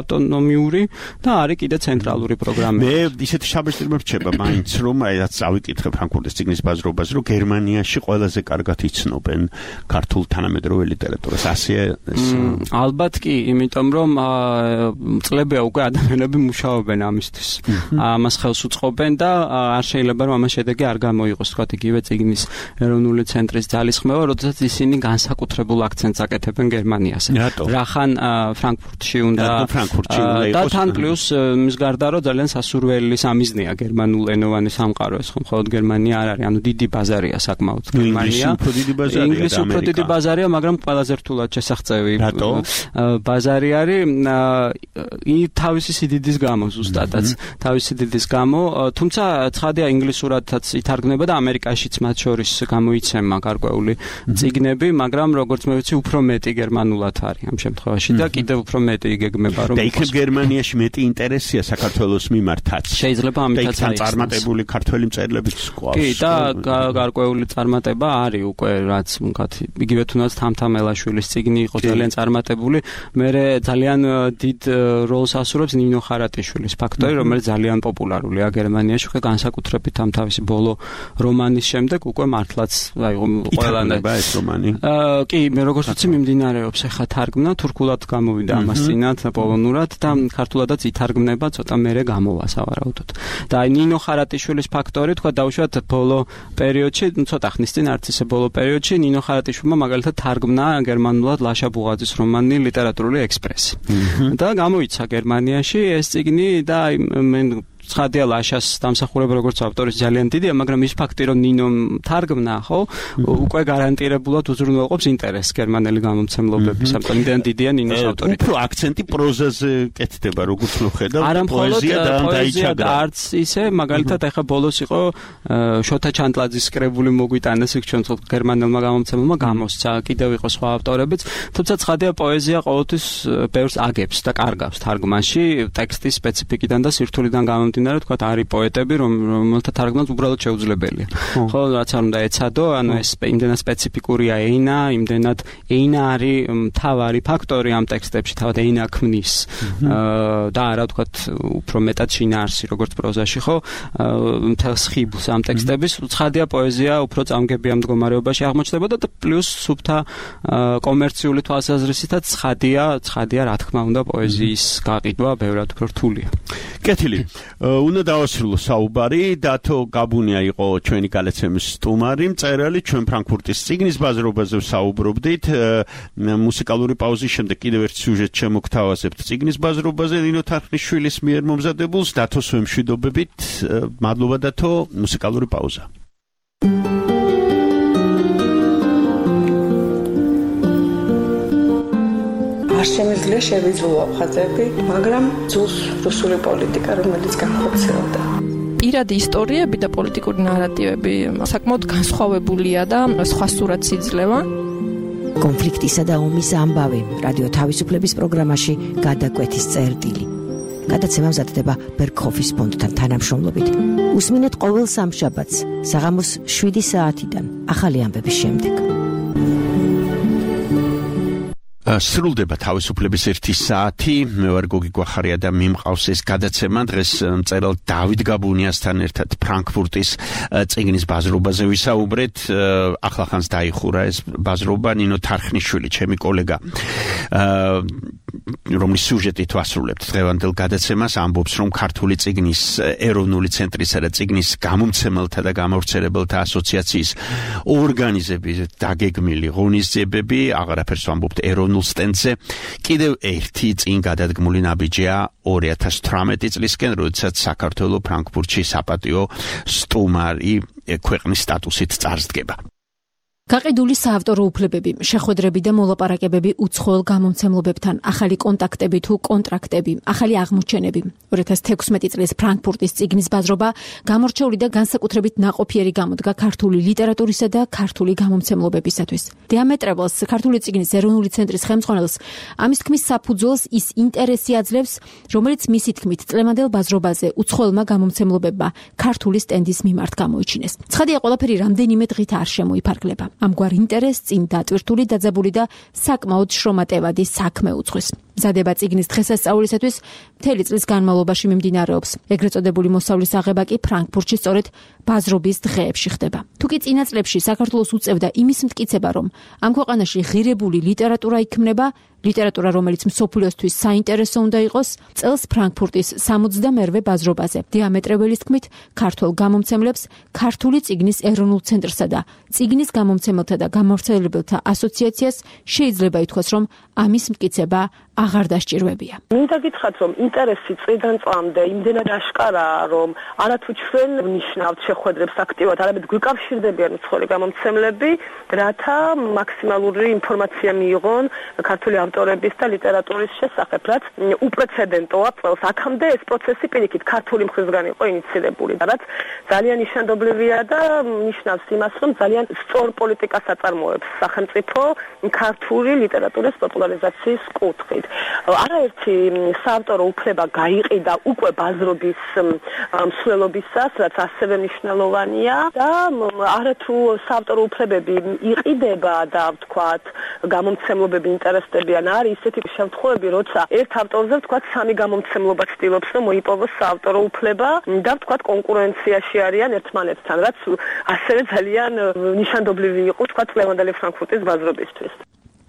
ავტონომიური და არის კიდე ცენტრალური პროგრამა. მე ისეთი შაბათი მრჩება მაინც, რომ აი რაც წავიკითხე ფრანკფურტის წიგნის ბაზრობას, რომ გერმანიაში ყველაზე კარგად იცნობენ ქართულ თანამედროვე ლიტერატურას. ასეა ეს ალბათ კი, იმიტომ რომ წლებია უკვე ადამიანები მუშაობენ ამისთვის. ამას ხელს უწყობენ და არ შეიძლება რომ ამას შედეგი არ გამოიღოს, თქვა, იგივე წიგნის ეროვნული ცენტრის ძალისხმევა, როდესაც ისინი განსაკუთრებულ აქცენტს აკეთებენ გერმანიაზე. რახან ფრანკფურტში უნდა და თან პლუს მის გარდა რომ ძალიან სასურველი სამიზნეა გერმანულენოვანი სამყარო, ეს ხომ მხოლოდ გერმანია არ არის, ანუ დიდი ბაზარია საკმაოდ გერმანია. ინგლისი უფრო დიდი ბაზარია, ინგლისი უფრო დიდი ბაზარია, მაგრამ ყველაზე რთულად შესახწევი უამრავი ბაზარი არის თავისი სიდიდის გამო ზუსტადაც თავისი სიდიდის გამო თუმცა ცხადია ინგლისურადაც ითარგმნება და ამერიკაშიც მათ შორის გამოიცემა გარკვეული წიგნები მაგრამ როგორც მე ვიცი უფრო მეტი გერმანულად არის ამ შემთხვევაში და კიდევ უფრო მეტი იგეგმება რომ და იქ გერმანიაში მეტი ინტერესია საქართველოს მიმართაც შეიძლება ამითაც არის წარმატებული ქართველი მწერლებიც ყავს კი და გარკვეული წარმატება არის უკვე რაც ვთქვათ იგივე თუნდაც თამთამელაშვილის წიგნი იყო ძალიან წარმატებული მე ძალიან დიდ როლს ასრულებს ნინო ხარატიშვილის ფაქტორი რომელიც ძალიან პოპულარულია გერმანიაში უკვე განსაკუთრებით ამ თავისი ბოლო რომანის შემდეგ უკვე მართლაც აი ყველანაირად ეს რომანი კი მე როგორც ვიცი მიმდინარეობს ახლა თარგმნა თურქულად გამოვიდა ამას წინათ პოლონურად და ქართულადაც ითარგმნება ცოტა მერე გამოვა სავარაუდოდ და აი ნინო ხარატიშვილის ფაქტორი თქვა დაუშვათ ბოლო პერიოდში ცოტა ხნის წინ არც ისე ბოლო პერიოდში ნინო ხარატიშვილმა მაგალითად თარგმნა გერმანულად ლაშა ბუღაძის რომანი ლიტერატურული ექსპრესი და გამოიცა გერმანიაში ეს წიგნი და აი მე ცხადია ლაშას დამსახურება როგორც ავტორის ძალიან დიდია, მაგრამ ის ფაქტი რომ ნინო თარგმნა, ხო, უკვე გარანტირებულად უზრუნველყოფს ინტერესს გერმანელი გამომცემლობების. ამიტომ იმდენ დიდია ნინოს ავტორიტეტი. უფრო აქცენტი პროზაზე კეთდება, როგორც ვხედავ, პოეზია და დაიჩაგრა. არც ისე, მაგალითად, ახლა ბოლოს იყო შოთა ჩანტლაძის კრებული მოგვიტანეს, იქ ჩვენ გერმანელმა გამომცემელმა გამოსცა, კიდევ იყო სხვა ავტორებიც, თუმცა ცხადია პოეზია ყოველთვის ბევრს აგებს და კარგავს თარგმანში, ტექსტის სპეციფიკიდან და სირთულიდან გამომდინარე თქვა არის პოეტები რომელთა თარგმნაც უბრალოდ შეუძლებელია. ხო, რაც არ უნდა ეცადო, ანუ ეს იმდენად სპეციფიკურია ენა, იმდენად ენა არის მთავარი ფაქტორი ამ ტექსტებში, თავად ენა ქმნის და არა თქვა უფრო მეტად შინაარსი როგორც პროზაში, ხო, მთელს ხიბლს ამ ტექსტების. ცხადია პოეზია უფრო წამგებია მდგომარეობაში აღმოჩნდება და პლუს სუფთა კომერციული თვალსაზრისითაც ცხადია, ცხადია რა თქმა უნდა პოეზიის გაყიდვა ბევრად უფრო რთულია. კეთილი. უნდა დავასრულო საუბარი, დათო გაბუნია იყო ჩვენი გადაცემის სტუმარი, მწერალი, ჩვენ ფრანკფურტის წიგნის ბაზრობაზე ვსაუბრობდით. მუსიკალური პაუზის შემდეგ კიდევ ერთ სიუჟეტს შემოგთავაზებთ წიგნის ბაზრობაზე, ნინო თარხნიშვილის მიერ მომზადებულს. დათოს ვემშვიდობებით. მადლობა დათო, მუსიკალური პაუზა. არ შემიძლია შევიძულო ხაზები, მაგრამ ძულს რუსული პოლიტიკა, რომელიც განხორციელდა. პირადი ისტორიები და პოლიტიკური ნარატივები საკმაოდ განსხვავებულია და სხვა სურათს იძლევა. კონფლიქტისა და ომის ამბავი რადიო თავისუფლების პროგრამაში გადაკვეთის წერტილი. გადაცემა მზადდება ბერგჰოფის ფონდთან თანამშრომლობით. უსმინეთ ყოველ სამშაბათს საღამოს შვიდი საათიდან ახალი ამბების შემდეგ. სრულდება თავისუფლების ერთი საათი. მე ვარ გოგი გვახარია და მიმყავს ეს გადაცემა დღეს მწერალ დავით გაბუნიასთან ერთად ფრანკფურტის წიგნის ბაზრობაზე ვისაუბრეთ. ახლახანს დაიხურა ეს ბაზრობა, ნინო თარხნიშვილი, ჩემი კოლეგა, რომლის სიუჟეტით ვასრულებთ დღევანდელ გადაცემას, ამბობს, რომ ქართული წიგნის ეროვნული ცენტრისა და წიგნის გამომცემელთა და გამავრცელებელთა ასოციაციის ორგანიზების დაგეგმილი ღონისძიებები, აღარაფერს ვამბობთ ეროვნულ სტენდზე, კიდევ ერთი წინ გადადგმული ნაბიჯია ორი ათას თვრამეტი წლისკენ, როდესაც საქართველო ფრანკფურტში საპატიო სტუმარი ქვეყნის სტატუსით წარსდგება. გაყიდული საავტორო უფლებები, შეხვედრები და მოლაპარაკებები უცხოელ გამომცემლობებთან, ახალი კონტაქტები თუ კონტრაქტები, ახალი აღმოჩენები. ორი ათას თექვსმეტი წლის ფრანკფურტის წიგნის ბაზრობა გამორჩეული და განსაკუთრებით ნაყოფიერი გამოდგა ქართული ლიტერატურისა და ქართული გამომცემლობებისათვის. დიამეტრეველს, ქართული წიგნის ეროვნული ცენტრის ხელმძღვანელს, ამის თქმის საფუძველს ის ინტერესი აძლევს, რომელიც მისი თქმით წლევანდელ ბაზრობაზე უცხოელმა გამომცემლობებმა ქართული სტენდის მიმართ გამოიჩინეს. ცხადია, ყველაფერი რამდენიმე დღით არ შემოიფარგლება. ამგვარ ინტერესს წინ დატვირთული, დაძაბული და საკმაოდ შრომატევადი საქმე უძღვის. მზადება წიგნის დღესასწაულისათვის მთელი წლის განმავლობაში მიმდინარეობს. ეგრეთ წოდებული მოსავლის აღება კი ფრანკფურტში სწორედ ბაზრობის დღეებში ხდება. თუკი წინა წლებში საქართველოს უწევდა იმის მტკიცება, რომ ამ ქვეყანაში ღირებული ლიტერატურა იქმნება, ლიტერატურა, რომელიც მსოფლიოსთვის საინტერესო უნდა იყოს, წელს ფრანკფურტის სამოცდამერვე ბაზრობაზე დიამეტრეველის თქმით ქართულ გამომცემლებს ქართული წიგნის ეროვნულ ცენტრსა და წიგნის გამომცემელთა და გამავრცელებელთა ასოციაციას შეიძლება ითქვას, რომ ამის მტკიცება აღარ დასჭირვებია. მინდა გითხრათ, რომ ინტერესი წლიდან წლამდე იმდენად აშკარაა, რომ არათუ ჩვენ ვნიშნავთ შეხვედრებს აქტიურად, არამედ გვიკავშირდებიან უცხოელი გამომცემლები, რათა მაქსიმალური ინფორმაცია მიიღონ ქართული ავტორების და ლიტერატურის შესახებ, რაც უპრეცედენტოა წელს. აქამდე ეს პროცესი პირიქით ქართული მხრისგან იყო ინიცირებული, რაც ძალიან ნიშანდობლივია და ნიშნავს იმას, რომ ძალიან სწორ პოლიტიკას აწარმოებს სახელმწიფო ქართული ლიტერატურის პოპულარიზაციის კუთხით. არაერთი საავტორო უფლება გაიყიდა უკვე ბაზრობის მსვლელობისას, რაც ასევე მნიშვნელოვანია და არათუ საავტორო უფლებები იყიდება და ვთქვათ, გამომცემლობები ინტერესდებიან, არის ისეთი შემთხვევები, როცა ერთ ავტორზე ვთქვათ სამი გამომცემლობა ცდილობს, რომ მოიპოვოს საავტორო უფლება და ვთქვათ კონკურენციაში არიან ერთმანეთთან, რაც ასევე ძალიან ნიშანდობლივი იყო ვთქვათ ლევანდელი ფრანკფურტის ბაზრობისთვის.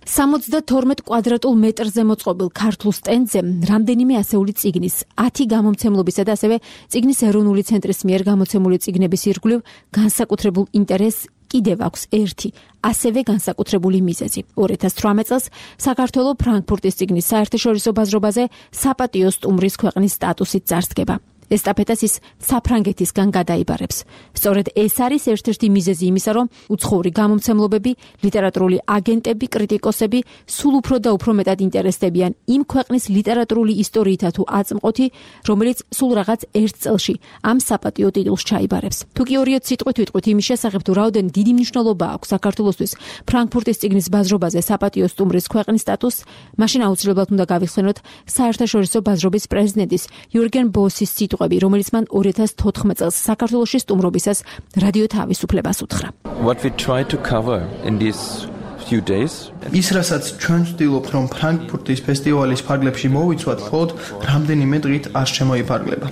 სამოცდათორმეტ კვადრატულ მეტრზე მოწყობილ ქართულ სტენდზე რამდენიმე ასეული წიგნის, ათი გამომცემლობისა და ასევე წიგნის ეროვნული ცენტრის მიერ გამოცემული წიგნების ირგვლივ განსაკუთრებულ ინტერესს კიდევ აქვს ერთი, ასევე განსაკუთრებული მიზეზი. ორი ათას თვრამეტ წელს საქართველოს ფრანკფურტის წიგნის საერთაშორისო ბაზრობაზე საპატიო სტუმრის ქვეყნის სტატუსით წარსდგება. ესტაფეტას ის საფრანგეთისგან გადაიბარებს. სწორედ ეს არის ერთ-ერთი მიზეზი იმისა, რომ უცხოური გამომცემლობები, ლიტერატურული აგენტები, კრიტიკოსები სულ უფრო და უფრო მეტად ინტერესდებიან იმ ქვეყნის ლიტერატურული ისტორიითა თუ აწმყოთი, რომელიც სულ რაღაც ერთ წელში ამ საპატიო ტიტულს ჩაიბარებს. თუ კი ორიოდ სიტყვით ვიტყვით იმის შესახებ, თუ რაოდენ დიდი მნიშვნელობა აქვს საქართველოსთვის ფრანკფურტის წიგნის ბაზრობაზე საპატიო სტუმრის ქვეყნის სტატუსს, მაშინ აუცილებლად უნდა გავიხსენოთ საერთაშორისო ბაზრობის პრეზიდენტის იურგენ ბოსის სიტყვები, რომელიც მან ორი ათას თოთხმეტ წელს საქართველოში სტუმრობისას რადიო თავისუფლებას უთხრა. What we try to cover in these few days ის რასაც ჩვენ ვცდილობთ, რომ ფრანკფურტის ფესტივალის ფარგლებში მოვიცვათ, მხოლოდ რამდენიმე დღით არ შემოიფარგლება.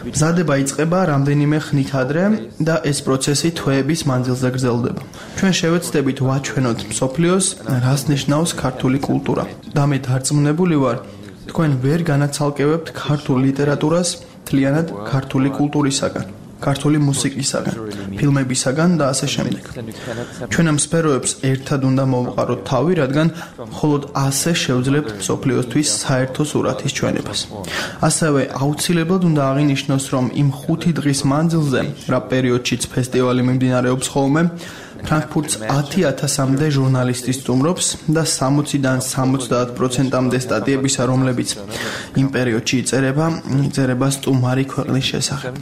მზადება იწყება რამდენიმე ხნით ადრე და ეს პროცესი თვეების მანძილზე გრძელდება. ჩვენ შევეცდებით ვაჩვენოთ მსოფლიოს, რას ნიშნავს ქართული კულტურა. და მე დარწმუნებული ვარ, თქვენ ვერ განაცალკევებთ ქართულ ლიტერატურას მთლიანად ქართული კულტურისაგან, ქართული მუსიკისაგან, ფილმებისაგან და ასე შემდეგ. ჩვენ ამ სფეროებს ერთად უნდა მოვყაროთ თავი, რადგან მხოლოდ ასე შევძლებთ მსოფლიოსთვის საერთო სურათის ჩვენებას. ასევე აუცილებლად უნდა აღინიშნოს, რომ იმ ხუთი დღის მანძილზე, რა პერიოდშიც ფესტივალი მიმდინარეობს ხოლმე, ფრანკფურტს ათი ათასამდე ჟურნალისტი სტუმრობს და სამოციდან სამოცდაათ პროცენტამდე სტატიებისა, რომლებიც იმ პერიოდში იწერება, იწერება სტუმარი ქვეყნის შესახებ.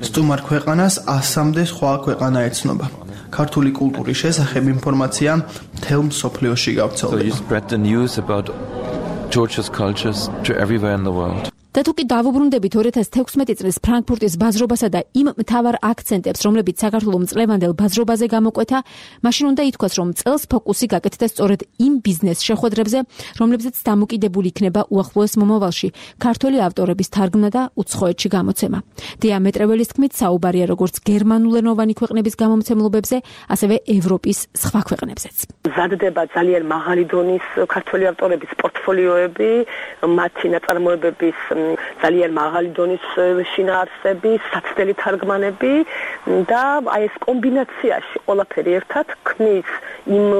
სტუმარ ქვეყანას ასამდე სხვა ქვეყანა ეცნობა. ქართული კულტურის შესახებ ინფორმაცია მთელ მსოფლიოში გავრცელდება. და თუ კი დავუბრუნდებით ორი ათას თექვსმეტი წლის ფრანკფურტის ბაზრობასა და იმ მთავარ აქცენტებს, რომლებიც საქართველოს მწლევანდელ ბაზრობაზე გამოკვეთა, მაშინ უნდა ითქვას, რომ წელს ფოკუსი გაკეთდა სწორედ იმ ბიზნეს შეხვედრებზე, რომლებზეც დამოკიდებული იქნება უახლოეს მომავალში ქართული ავტორების თარგმნა და უცხოეთში გამოცემა. დიამეტრეველის თქმით, საუბარია როგორც გერმანულენოვანი ქვეყნების გამომცემლობებზე, ასევე ევროპის სხვა ქვეყნებზეც. მზადდება ძალიან მაღალი დონის ქართული ავტორების პორტფოლიოები, მათი ნაწარმოებების ძალიან მაღალი დონის შინაარსები, საცდელი თარგმანები და აი ეს კომბინაციაში ყველაფერი ერთად ქმნის იმ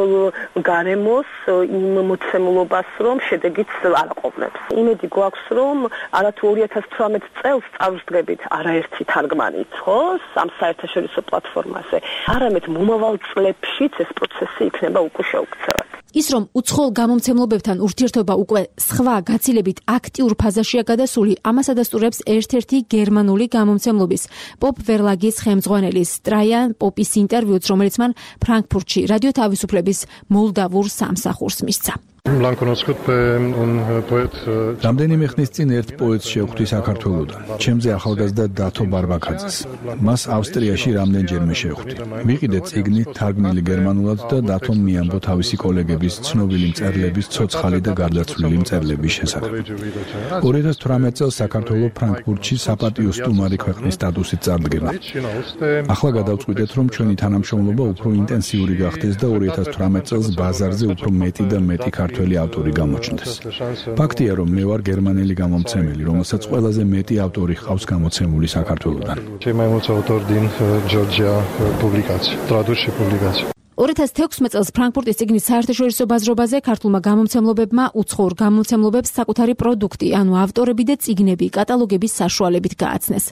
გარემოს, იმ მოცემულობას, რომ შედეგიც არ აყოლებს. იმედი გვაქვს, რომ არათუ ორი ათას თვრამეტ წელს წავსდგებით არაერთი თარგმანით, ხო, ამ საერთაშორისო პლატფორმაზე, არამედ მომავალ წლებშიც ეს პროცესი იქნება უკვე შეუქცევად. ის რომ უცხოელ გამომცემლობებთან ურთიერთობა უკვე სხვა გაცილებით აქტიურ ფაზაშია გადასული, ამას ადასტურებს ერთ-ერთი გერმანული გამომცემლობის პოპ ვერლაგის ხელმძღვანელის ტრაიან პოპის ინტერვიუც, რომელიც მან ფრანკფურტში რადიო თავისუფლების მოლდავურ სამსახურს მისცა. რამდენიმე ხნის წინ ერთ პოეტს შევხვდი საქართველოდან, ჩემზე ახალგაზრდა დათო ბარბაკაძეს. მას ავსტრიაში რამდენჯერმე შევხვდი. ვიყიდე წიგნი თარგმნილი გერმანულად და დათომ მიამბო თავისი კოლეგების ცნობილი მწერლების ცოცხალი და გარდაცვლილი მწერლების შესახებ. ორი ათას თვრამეტ წელს საქართველოს ფრანკფურტში საპატიო სტუმარი ქვეყნის სტატუსით წარდგება. ახლა გადავწყვიტეთ, რომ ჩვენი თანამშრომლობა უფრო ინტენსიური გახდეს და ორი ათას თვრამეტ წელს ბაზარზე უფრო მეტი და მეტი ქართველი ავტორი გამოჩნდეს. ფაქტია, რომ მე ვარ გერმანელი გამომცემელი, რომელსაც ყველაზე მეტი ავტორი ჰყავს გამოცემული საქართველოდან. ორი ათას თექვსმეტ წელს ფრანკფურტის წიგნის საერთაშორისო ბაზრობაზე ქართულმა გამომცემლობებმა უცხოურ გამომცემლობებს საკუთარი პროდუქტი, ანუ ავტორები და წიგნები კატალოგების საშუალებით გააცნეს.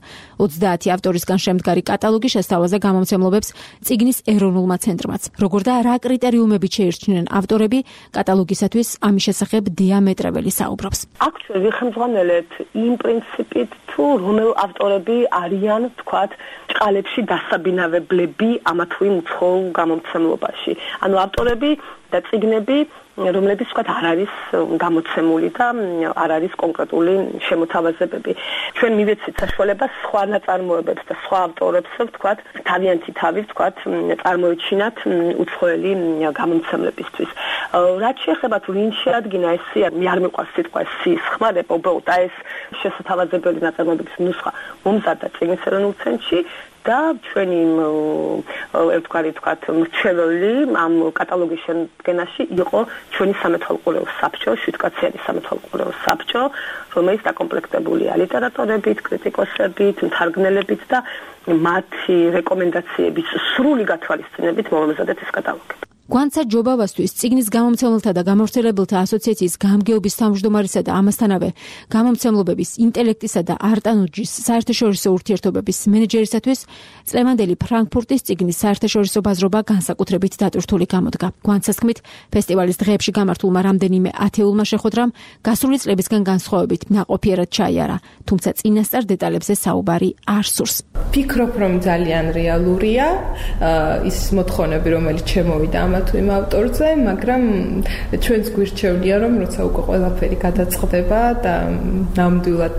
ოცდაათი ავტორისგან შემდგარი კატალოგი შესთავაზა გამომცემლობებს წიგნის ეროვნულმა ცენტრმაც. Როგორ და რა კრიტერიუმებით შეირჩნენ ავტორები, კატალოგისათვის ამის შესახებ დიამეტრეველი საუბრობს. აქ ჩვენ ვიხმძღვანელეთ იმ პრინციპით, თუ რომელ ავტორები არიან, თქვათ, ჭყალებში დასაბინავებლები ამა თუ იმ უცხოურ გამომცემლობაში. ანუ ავტორები და წიგნები, რომლებიც თქვათ არ არის გამოცემული და არ არის კონკრეტული შემოთავაზებები. ჩვენ მივეცით საშუალებას სხვა ნაწარმოებებს და სხვა ავტორებს თქვათ, თავიანთი თავის თქვათ, წარმოიჩინათ უცხოელი გამომცემლებისთვის. რაც შეეხება თუ ვინ შეადგინა ეს სია, მე არ მიყვარს სიტყვა სიის ხმარება, უბრალოდ ეს შესათავაზებელი ნაწარმოებების ნუსხა მომზადდა წიგნის ეროვნულ ცენტრში და ჩვენი ერთგვარი თქვათ მრჩეველი ამ კატალოგის შემდგენაში იყო ჩვენი სამეთვალყურეო საბჭო, შვიდკაციანი სამეთვალყურეო საბჭო, რომელიც დაკომპლექტებულია ლიტერატორებით, კრიტიკოსებით, მთარგმნელებით და მათი რეკომენდაციების სრული გათვალისწინებით მომზადეთ ეს კატალოგი. გვანცა ჯობავასთვის წიგნის გამომცემელთა და გამავრცელებელთა ასოციაციის გამგეობის თავმჯდომარისა და ამასთანავე გამომცემლობების ინტელექტისა და არტანუჯის საერთაშორისო ურთიერთობების მენეჯერისათვის წლევანდელი ფრანკფურტის წიგნის საერთაშორისო ბაზრობა განსაკუთრებით დატვირთული გამოდგა. გვანცას თქმით, ფესტივალის დღეებში გამართულმა რამდენიმე ათეულმა შეხვედრამ გასული წლებისგან განსხვავებით ნაყოფიერად ჩაიარა, თუმცა წინასწარ დეტალებზე საუბარი არ სურს. ფიქრობ, რომ ძალიან რეალურია ის მოთხოვნები, რომელიც შემოვიდა თუ იმ ავტორზე, მაგრამ ჩვენს გვირჩევნია, რომ როცა უკვე ყველაფერი გადაწყდება და ნამდვილად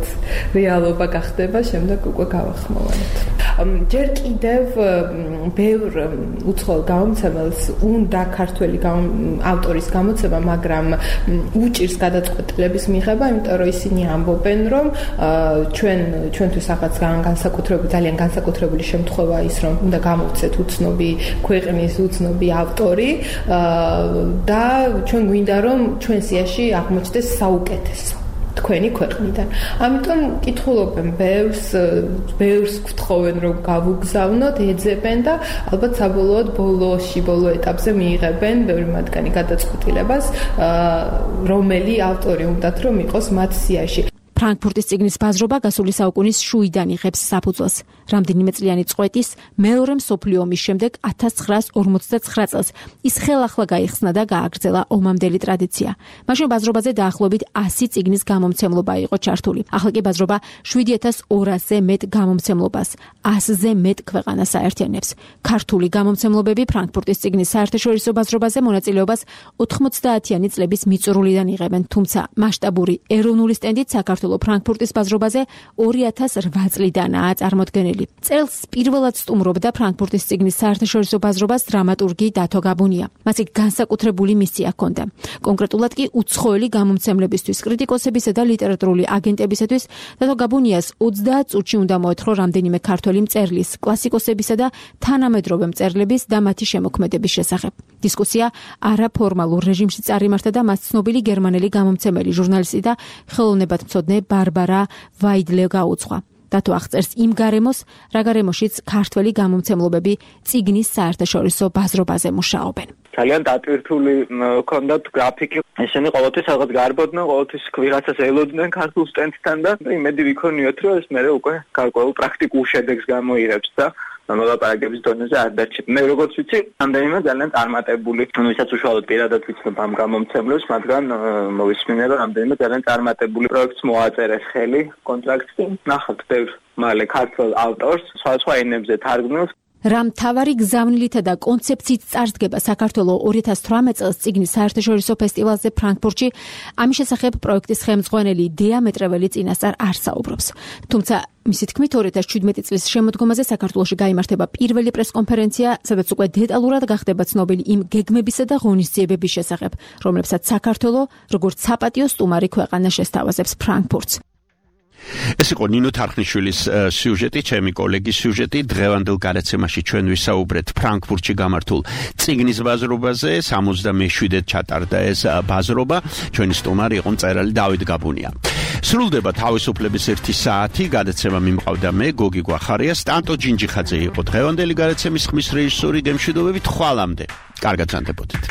რეალობა გახდება, შემდეგ უკვე გავახმოვანოთ. ჯერ კიდევ ბევრ უცხოელ გამომცემელს უნდა ქართველი ავტორის გამოცემა, მაგრამ უჭირს გადაწყვეტილების მიღება, იმიტომ რომ ისინი ამბობენ, რომ ჩვენ ჩვენთვის რაღაც განსაკუთრებული, ძალიან განსაკუთრებული შემთხვევა ის, რომ უნდა გამოვცეთ უცნობი ქვეყნის უცნობი ავტორი და ჩვენ გვინდა რომ ჩვენ სიაში აღმოჩნდეს საუკეთესო თქვენი ქვეყნიდან. ამიტომ კითხულობენ ბევრს, ბევრს გთხოვენ რომ გავუგზავნოთ, ეძებენ და ალბათ საბოლოოდ ბოლოში, ბოლო ეტაპზე მიიღებენ ბევრი მათგანი გადაწყვეტილებას, რომელი ავტორი უნდათ რომ იყოს მათ სიაში. ფრანკფურტის წიგნის ბაზრობა გასული საუკუნის შუიდან იღებს საფუძველს. რამდენიმე წლიანი წყვეტის მეორე მსოფლიო ომის შემდეგ ათას ცხრაას ორმოცდაცხრა წელს ის ხელახლა გაიხსნა და გააგრძელა ომამდელი ტრადიცია. მაშინ ბაზრობაზე დაახლოებით ასი წიგნის გამომცემლობა იყო ჩართული. ახლა კი ბაზრობა შვიდი ათას ორასზე მეტ გამომცემლობას, ასზე მეტ ქვეყანას აერთიანებს. ქართული გამომცემლობები ფრანკფურტის წიგნის საერთაშორისო ბაზრობაზე მონაწილეობას ოთხმოცდაათიანი წლების მიწურულიდან იღებენ, თუმცა მასშტაბური ეროვნული სტენდით საქართველოს ფრანკფურტის ბაზრობაზე ორი ათას რვა წლიდანაა წარმოდგენილი. წელს პირველად სტუმრობდა ფრანკფურტის წიგნის საერთაშორისო ბაზრობას დრამატურგი დათო გაბუნია. მას იქ განსაკუთრებული მისია ჰქონდა. კონკრეტულად კი უცხოელი გამომცემლებისთვის, კრიტიკოსებისა და ლიტერატურული აგენტებისათვის დათო გაბუნიას ოცდაათ წუთში უნდა მოეთხოვა რამდენიმე ქართველი მწერლის, კლასიკოსებისა და თანამედროვე მწერლების და მათი შემოქმედების შესახებ. დისკუსია არაფორმალურ რეჟიმში წარიმართა და მას ცნობილი გერმანელი გამომცემელი, ჟურნალისტი და ხელოვნებათმცოდნე ბარბარა ვაიდლე გაუძღვა. დათო აღწერს იმ გარემოს, რა გარემოშიც ქართველი გამომცემლობები წიგნის საერთაშორისო ბაზრობაზე მუშაობენ. ძალიან დატვირთული ჰქონდათ გრაფიკი. ესენი ყოველთვის რაღაც გარბოდნენ, ყოველთვის ვიღაცას ელოდნენ ქართულ სტენდთან და იმედი ვიქონიოთ, რომ ეს მერე უკვე გარკვეულ პრაქტიკულ შედეგს გამოიღებს და მოლაპარაკების დონეზე არ დარჩება. მე როგორც ვიცი, ამდენიმე ძალიან წარმატებული, ვისაც უშუალოდ პირადად ვიცნობ ამ გამომცემლებს, მაგრამ მოვისმინე, რომ ამდენიმე ძალიან წარმატებული პროექტს მოაწერეს ხელი, კონტრაქტი. ნახავთ ბევრ მალე ქართულ ავტორს, სხვა-სხვა ენებზე თარგმნილს. რა მთავარი გზავნილითა და კონცეფციით წარსდგება საქართველოს ორი ათას თვრამეტ წელს წიგნის საერთაშორისო ფესტივალზე ფრანკფურტში, ამის შესახებ პროექტის ხელმძღვანელი დიამეტრეველი წინასწარ არ საუბრობს. თუმცა მისი თქმით, ორი ათას შვიდმეტი წლის შემოდგომაზე საქართველოში გაიმართება პირველი პრესკონფერენცია, სადაც უკვე დეტალურად გახდება ცნობილი იმ გეგმებისა და ღონისძიებების შესახებ, რომლებსაც საქართველოს როგორც საპატიო სტუმარი ქვეყანა შესთავაზებს ფრანკფურტს. ეს იყო ნინო თარხნიშვილის სიუჟეტი, ჩემი კოლეგის სიუჟეტი. დღევანდელ გადაცემაში ჩვენ ვისაუბრეთ ფრანკფურტში გამართულ წიგნის ბაზრობაზე. სამოცდამეშვიდედ ჩატარდა ეს ბაზრობა. ჩვენი სტუმარი იყო მწერალი დავით გაბუნია. სრულდება თავისუფლების ერთი საათი, გადაცემა მიმყავდა მე, გოგი გვახარია, სტანტო ჯინჯიხაძე იყო დღევანდელი გადაცემის ხმის რეჟისორი, გემშვიდობებით ხვალამდე. კარგად ზანდებოდეთ.